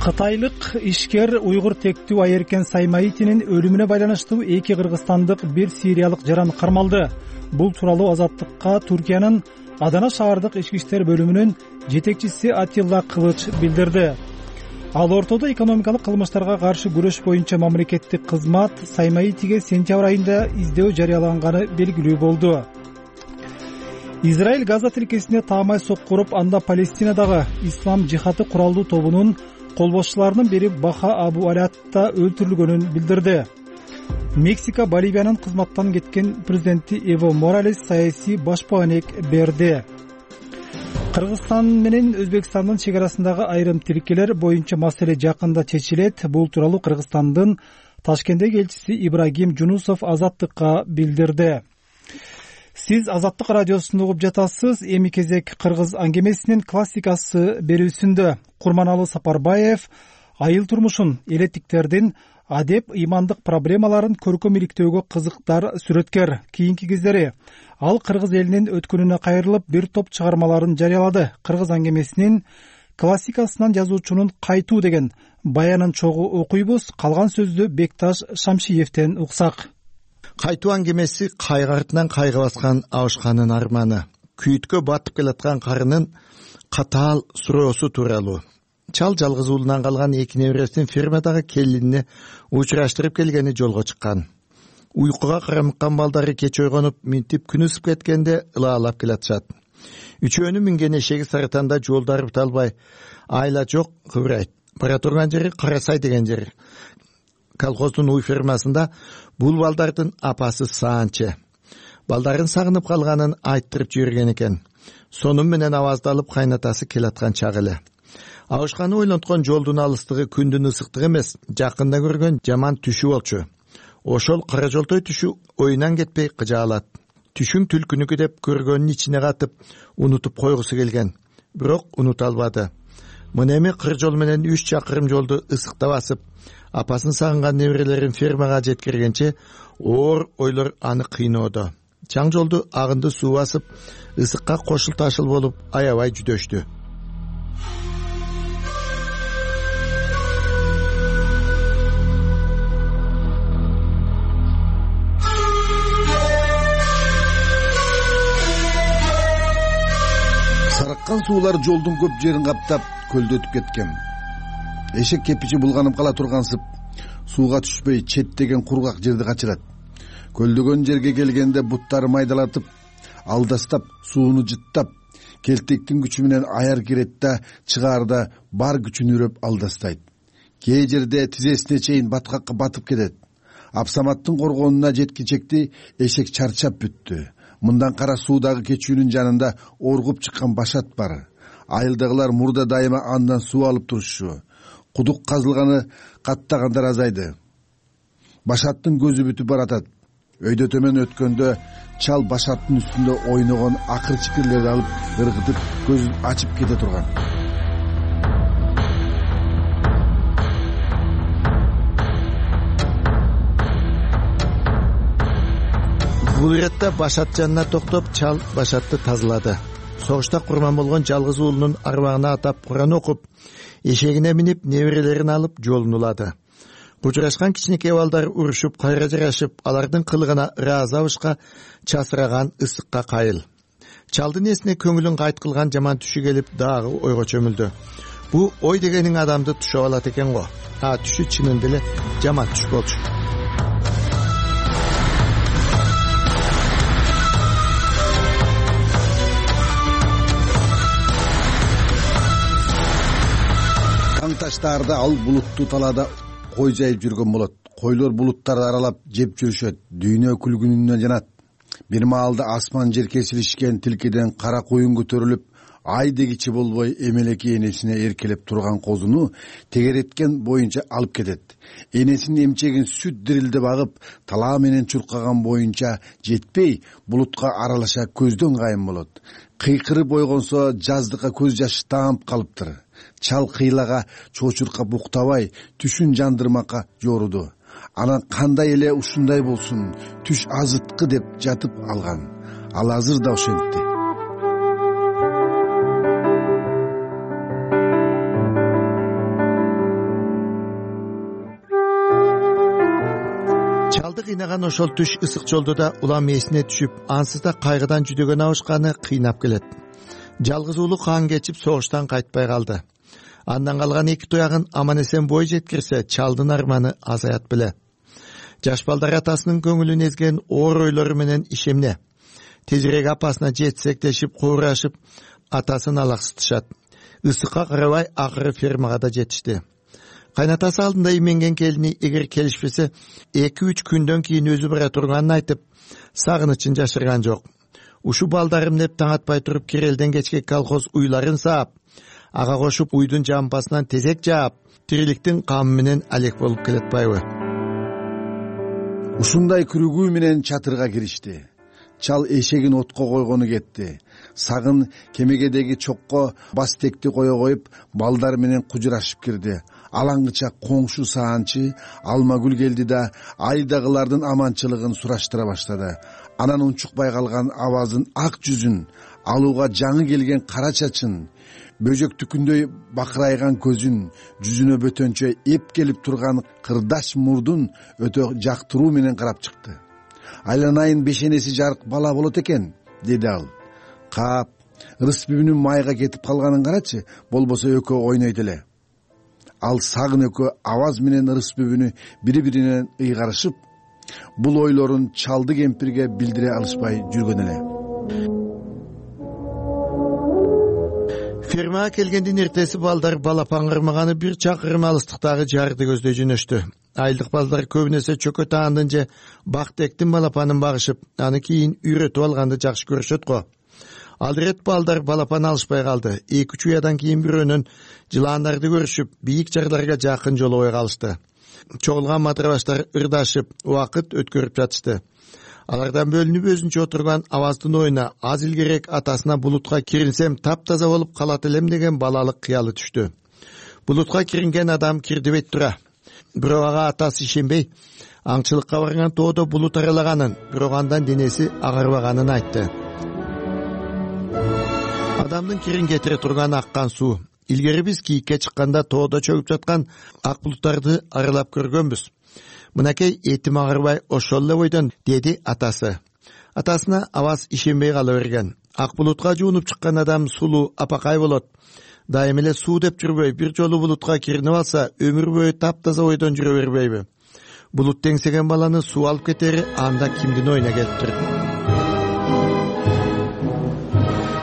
Кытайлык ишкер уйгур тектүү Айеркен Саймаитинин өлүмүнө байланыштуу эки кыргызстандык бир сириялык жаран кармалды. Бул тууралуу Азаттыкка Түркиянын Адана шаардык ички иштер бөлүмүнүн жетекчиси Атилла Кылыч билдирди. Ал ортодо экономикалык кылмыштарга каршы күрөш боюнча мамлекеттик кызмат Саймаитиге сентябрь айында издөө жарыяланганы белгилүү болду. Израиль Газа тилкесине таамай сокку уруп, анда Палестинадагы ислам жихаты куралдуу тобунун колбошчуларынын бири Баха Абу Алятта өлтүрүлгөнүн билдирди. Мексика Боливиянын кызматтан кеткен президенти Эво Моралес саясий башпаанек берди. Кыргызстан менен Өзбекстандын чек арасындагы айрым тилкелер боюнча маселе жакында чечилет. Бул тууралуу Кыргызстандын Ташкенттеги элчиси Ибрагим Жунусов Азаттыкка билдирди. Сиз Азаттык радиосунда угуп жатасыз. Эми кезек кыргыз аңгемесинин классикасы берүүсүндө. Курманалы Сапарбаев айыл турмушун, элеттиктердин адеп, ыймандык проблемаларын көркөм иликтөөгө кызыктар сүрөткер. Кийинки кездери ал кыргыз элинин өткөнүнө кайрылып бир топ чыгармаларын жарыялады. Кыргыз аңгемесинин классикасынан жазуучунун кайтуу деген баянын чогуу окуйбуз. Калган сөздү Бекташ Шамшиевден уксак. Кайтуу аңгемеси кайгы артынан кайгы баскан абышканын арманы, күйүткө батып келаткан карынын катаал суроосу тууралуу. Чал жалгыз уулунан калган эки небересин фермадагы келинине учураштырып келгени жолго чыккан. уйкуга карамыккан балдары кеч ойгонуп минтип күн ысып кеткенде ылаалап келатышат. Үчөөнүн минген эшеги Сарытанда жолдары бите албай, айла жок кыбырайт. Бара турган жери Карасай деген жер. Колхоздун уй фермасында бул балдардын апасы Саанче. Балдарын сагынып калганын айттырып жиберген экен. Сонун менен аваздалып кайнатасы келаткан чак эле. Абышканы ойлонткон жолдун алыстыгы күндүн ысыктыгы эмес, жакында көргөн жаман түшү болчу. Ошол кара жолтой түшү оюнан кетпей кыжаалат. Түшүң түлкүнүкү деп көргөнүн ичине катып, унутуп койгусу келген. Бирок унута албады. Мына эми кыр жол менен үч чакырым жолду ысыкта басып, апасын сагынган неберелерин фермага жеткиргенче оор ойлор аны кыйноодо. Чаң жолду агынды суу басып, ысыкка кошул ташыл болуп аябай жүдөштү. Сарыккан суулар жолдун көп жерин каптап, көлдөтүп кеткен. Эшек кепичи булганып кала тургансып, сууга түшпөй четтеген кургак жерди качырат. Көлдөгөн жерге келгенде буттары майдалатып, алдастап, сууну жыттап, келтектин күчү менен аяр кирет да чыгаарда бар күчүн үрөп алдастайт. Кээ жерде тизесине чейин баткакка батып кетет. Апсаматтын коргонуна жеткичекти эшек чарчап бүттү. Мындан кара суудагы кечүүнүн жанында оргуп чыккан башат бар. Айылдагылар мурда дайыма андан суу алып турушчу. Кудук казылганы каттагандар азайды. Башаттын көзү бүтүп баратат. Өйдө төмөн өткөндө чал башаттын үстүндө ойногон акыр чикирлерди алып ыргытып көзүн ачып кете турган. Бул иретте башат жанына токтоп, чал башатты тазалады. Согушта курман болгон жалгыз уулунун арбагына атап Куран окуп, эшегине минип, неберелерин алып жолун улады. Кучурашкан кичинекей балдар урушуп, кайра жарашып, алардын кылыгына ыраазы абышка, часыраган ысыкка кайыл. Чалдын эсине көңүлүн кайт кылган жаман түшү келип, дагы ойго чөмүлдү. Бу ой дегениң адамды түшөп алат экен го. А түшү чынында эле жаман түш болчу. Таштаарда ал булуттуу талаада кой жайып жүргөн болот. Койлор булуттарды аралап жеп жүрүшөт. Дүйнө күлгүнүнөн жанат. Бир маалда асман жер кесилишкен тилкеден кара куюн көтөрүлүп, ай дегичи болбой эмелеки энесине эркелеп турган козуну тегереткен боюнча алып кетет. Энесинин эмчегин сүт дирилде багып, талаа менен чуркаган боюнча жетпей, булутка аралаша көздөн кайын болот. Кыйкырып ойгонсо жаздыкка көз жашы таамып калыптыр. Чал кыйлага чочуркап уктабай, түшүн жандырмакка жоруду. Анан кандай эле ушундай болсун, түш азыткы деп жатып алган. Ал азыр да ошентти. Чалды кыйнаган ошол түш ысык жолдо да улам эсине түшүп, ансыз да кайгыдан жүдөгөн абышканы кыйнап келет. Жалгыз уулу каан кечип согуштан кайтпай калды. Андан калган эки туягын аман эсен бой жеткирсе, чалдын арманы азаят беле. Жаш балдар атасынын көңүлүн эзген оор ойлору менен ишемне. Тезирээк апасына жетсектешип, куурашып, атасын алаксытышат. Ысыкка карабай акыры фермага да жетишти. Кайнатасы алдында именген келини эгер келишпесе, эки үч күндөн кийин өзү бара турганын айтып, сагынычын жашырган жок. Ушу балдарым деп таң атпай туруп кирелден кечке колхоз уйларын саап, ага кошуп уйдун жампасынан тезек жаап, тириликтин камы менен алек болуп келатпайбы? Ушундай күрүгүү менен чатырга киришти. Чал эшегин отко койгону кетти. Сагын кемегедеги чокко бастекти кое коюп, балдар менен кужурашып кирди. Алаңгыча коңшу Саанчы Алмагүл келди да айдагылардын аманчылыгын сураштыра баштады. Анан унчукпай калган абазын ак жүзүн, алууга жаңы келген кара чачын, бөжөктүкүндөй бакырайган көзүн, жүзүнө бөтөнчө эп келип турган кырдаш мурдун өтө жактыруу менен карап чыкты. Айланайын бешенеси жарык бала болот экен, деди ал. Кап, Рыспүбүнүн майга кетип калганын карачы, болбосо экөө ойнойт эле. Ал сагын экөө аваз менен Рыспүбүнү бири-биринен ыйгарышып, бул ойлорун чалды кемпирге билдире алышпай жүргөн эле. фермага келгендин эртеси балдар балапан кырмаганы бир чакырым алыстыктагы жарды көздөй жөнөштү. Айылдык балдар көбүнесе чөкө таандын же бактектин балапанын багышып, аны кийин үйрөтүп алганды жакшы көрүшөт го. Ал ирет балдар балапан алышпай калды. эки үч уядан кийин бирөөнөн жылаандарды көрүшүп, бийик жарларга жакын жолобой калышты. Чогулган матырабаштар ырдашып, убакыт өткөрүп жатышты. Алардан бөлүнүп өзүнчө отурган Аваздын оюна аз илгерээк атасына булутка кирилсем таптаза болуп калат элем деген балалык кыялы түштү. Булутка киринген адам кирдибейт тура. Бирок ага атасы ишенбей, аңчылыкка барган тоодо булут аралаганын, бирок андан денеси агарбаганын айтты. Адамдын кирин кетире турган аккан суу. Илгери биз кийикке чыкканда тоодо чөгүп жаткан ак булуттарды аралап көргөнбүз. Мынакей этим агарбай ошол эле бойдон, деди атасы. Атасына Аваз ишенбей кала берген. Ак булутка жуунуп чыккан адам сулуу, апакай болот. Дайым эле суу деп жүрбөй, бир жолу булутка киринип алса, өмүр бою таптаза бойдон жүрө бербейби? Булут теңсеген баланы суу алып кетери анда кимдин оюна келиптир?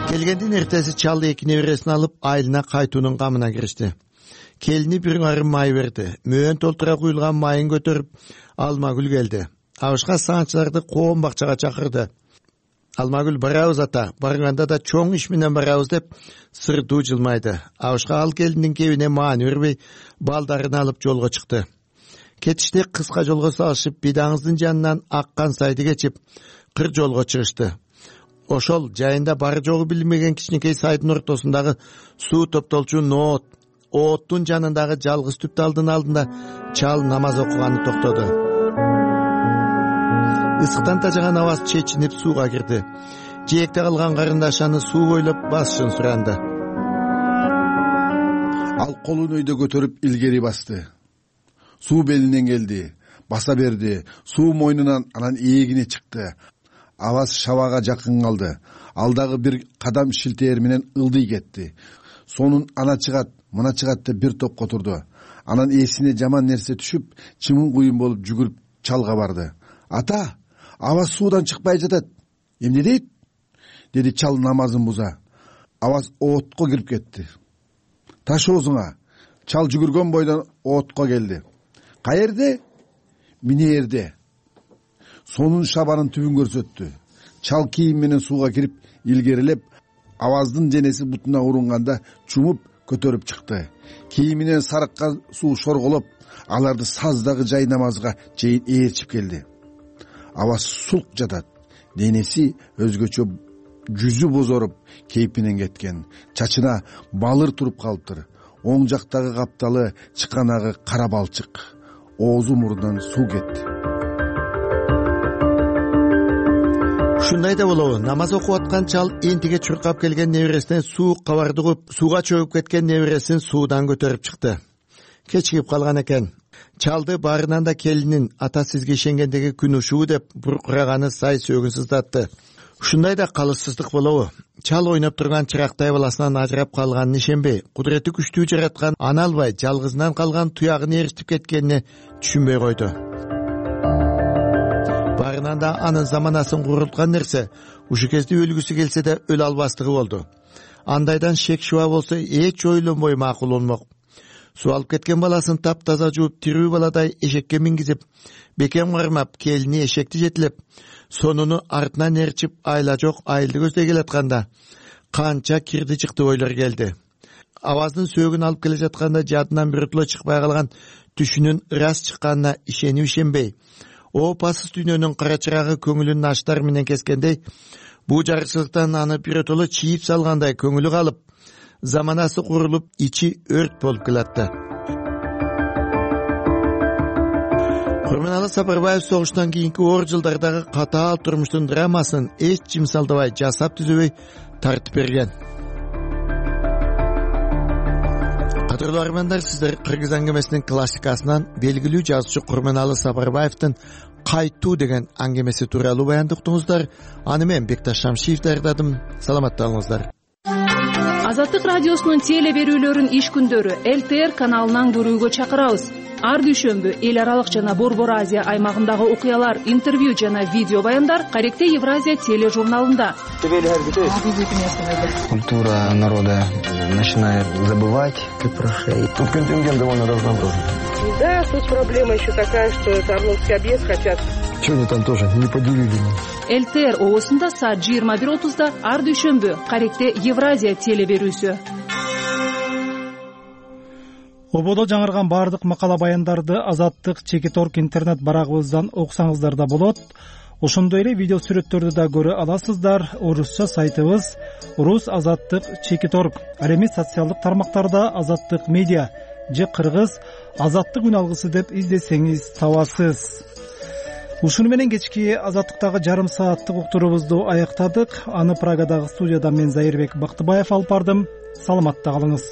Келгендин эртеси чал эки небересин алып айылына кайтуунун камына киришти. Келини бир арым май берди. Мөөн толтура куюлган майын көтөрүп Алмагүл келди. Абышка саанчыларды коом бакчага чакырды. Алмагүл барабыз ата, барганда да чоң иш менен барабыз деп сырдуу жылмайды. Абышка ал келиндин кебине маани бербей балдарын алып жолго чыкты. Кетиште кыска жолго салышып, бидаңыздын жанынан аккан сайды кечип, кыр жолго чыгышты. Ошол жайында бары жогу билинбеген кичинекей сайдын ортосундагы суу топтолчу ноот, ооттун жанындагы жалгыз түп талдын алдында чал намаз окуганы токтоду. Ысыктан тажаган Аваз чечинип сууга кирди. Жээкте калган карындаш аны суу бойлоп басышын суранды. Ал колун өйдө көтөрүп илгери басты. Суу белинен келди, баса берди. Суу мойнунан анан ээлегине чыкты. Аваз шабага жакын калды. Ал дагы бир кадам шилтээр менен ылдый кетти. Сонун ана чыгат, мына чыгат деп бир топко турду. Анан эсине жаман нерсе түшүп, чымын куюн болуп жүгүрүп чалга барды. Ата, Аваз суудан чыкпай жатат. Эмне дейт? Деди чал намазын буза. Аваз оотко кирип кетти. Таш оозуңа. Чал жүгүргөн бойдон оотко келди. Каерде? Минээрде. Сонун шабанын түбүн көрсөттү. Чал кийим менен сууга кирип илгерилеп, Аваздын денеси бутуна урунганда чумуп көтөрүп чыкты. Кийиминен сарыккан суу шорголоп, аларды саздагы жай намазга чейин ээрчип келди. Аваз сулк жатат. Денеси өзгөчө, жүзү бозоруп, кейпинен кеткен. Чачына балыр туруп калыптыр. Оң жактагы капталы чыканагы кара балчык. Оозу мурундан суу кетти. Ушундай да болобу, намаз окуп аткан чал энтиге чуркап келген небересинен суу кабарды угуп, сууга чөгүп кеткен небересин суудан көтөрүп чыкты. Кечигип калган экен. Чалды баарынан да келинин ата сизге ишенгендеги күн ушуу деп буркураганы сай сөөгүн сыздатты. Ушундай да калыссыздык болобу? Чал ойноп турган чырактай баласынан ажырап калганын ишенбей, кудурети күчтүү жараткан ана албай жалгызынан калган туягын ээрчитип кеткенине түшүнбөй койду. Баарынан да анын заманасын курулткан нерсе, ушу кезде өлгүсү келсе да өлө албастыгы болду. Андайдан шек шуба болсо эч ойлонбой макул болмок. Суу алып кеткен баласын таптаза жууп, тирүү баладай эшекке мингизип, бекем кармап, келини эшекти жетилеп, сонуну артынан ээрчип, айла жок айылды көздөй келатканда канча кирди чыкты ойлор келди. Аваздын сөөгүн алып келе жатканда жадынан биротоло чыкпай калган түшүнүн ырас чыкканына ишенип ишенбей, опасыз дүйнөнүн кара чырагы көңүлүн аштар менен кескендей, бул жарыкчылыктан аны биротоло чийип салгандай көңүлү калып, заманасы курулуп, ичи өрт болуп келатты. Курманалы Сапарбаев согуштан кийинки оор жылдардагы катаал турмуштун драмасын эч жимсалдабай, жасап түзөбөй тартып берген. Кадырлуу армандар, сиздер Кыргыз аңгемесинин классикасынан белгилүү жазуучу Курманалы Сапарбаевдин Кайтуу деген аңгемеси тууралуу баянды уктуңуздар. Аны мен Бекташ Шамшиев даярдадым. Саламатта болуңуздар. Азаттык радиосунун теле берүүлөрүн иш күндөрү эл тэ эр каналынан көрүүгө чакырабыз. ар дүйшөмбү эл аралык жана Борбор Азия аймагындагы окуялар, интервью жана видео баяндар Каректе Евразия тележурналында. Культура народа начинает забывать, как прошей. Тут контингент довольно разнообразный. Да, тут проблема еще такая, что это Орловский объезд хотят. Что они там тоже не поделили? ЛТР оосунда саат жыйырма бир отузда ар дүйшөмбү Каректе Евразия теле берүүсү. Ободо жаңырган баардык макала баяндарды Азаттык Чекиторг интернет барагыбыздан окусаңыздар да болот. Ошондой эле видео сүрөттөрдү да көрө аласыздар. Орусча сайтыбыз Рус Азаттык Чекиторг. Ал эми социалдык тармактарда Азаттык медиа же кыргыз Азаттык үн алгысы деп издесеңиз табасыз. Ушуну менен кечки Азаттыктагы жарым сааттык уктуруубузду аяктадык. Аны Прагадагы студияда мен Зайырбек Бактыбаев алып бардым. Саламатта калыңыз.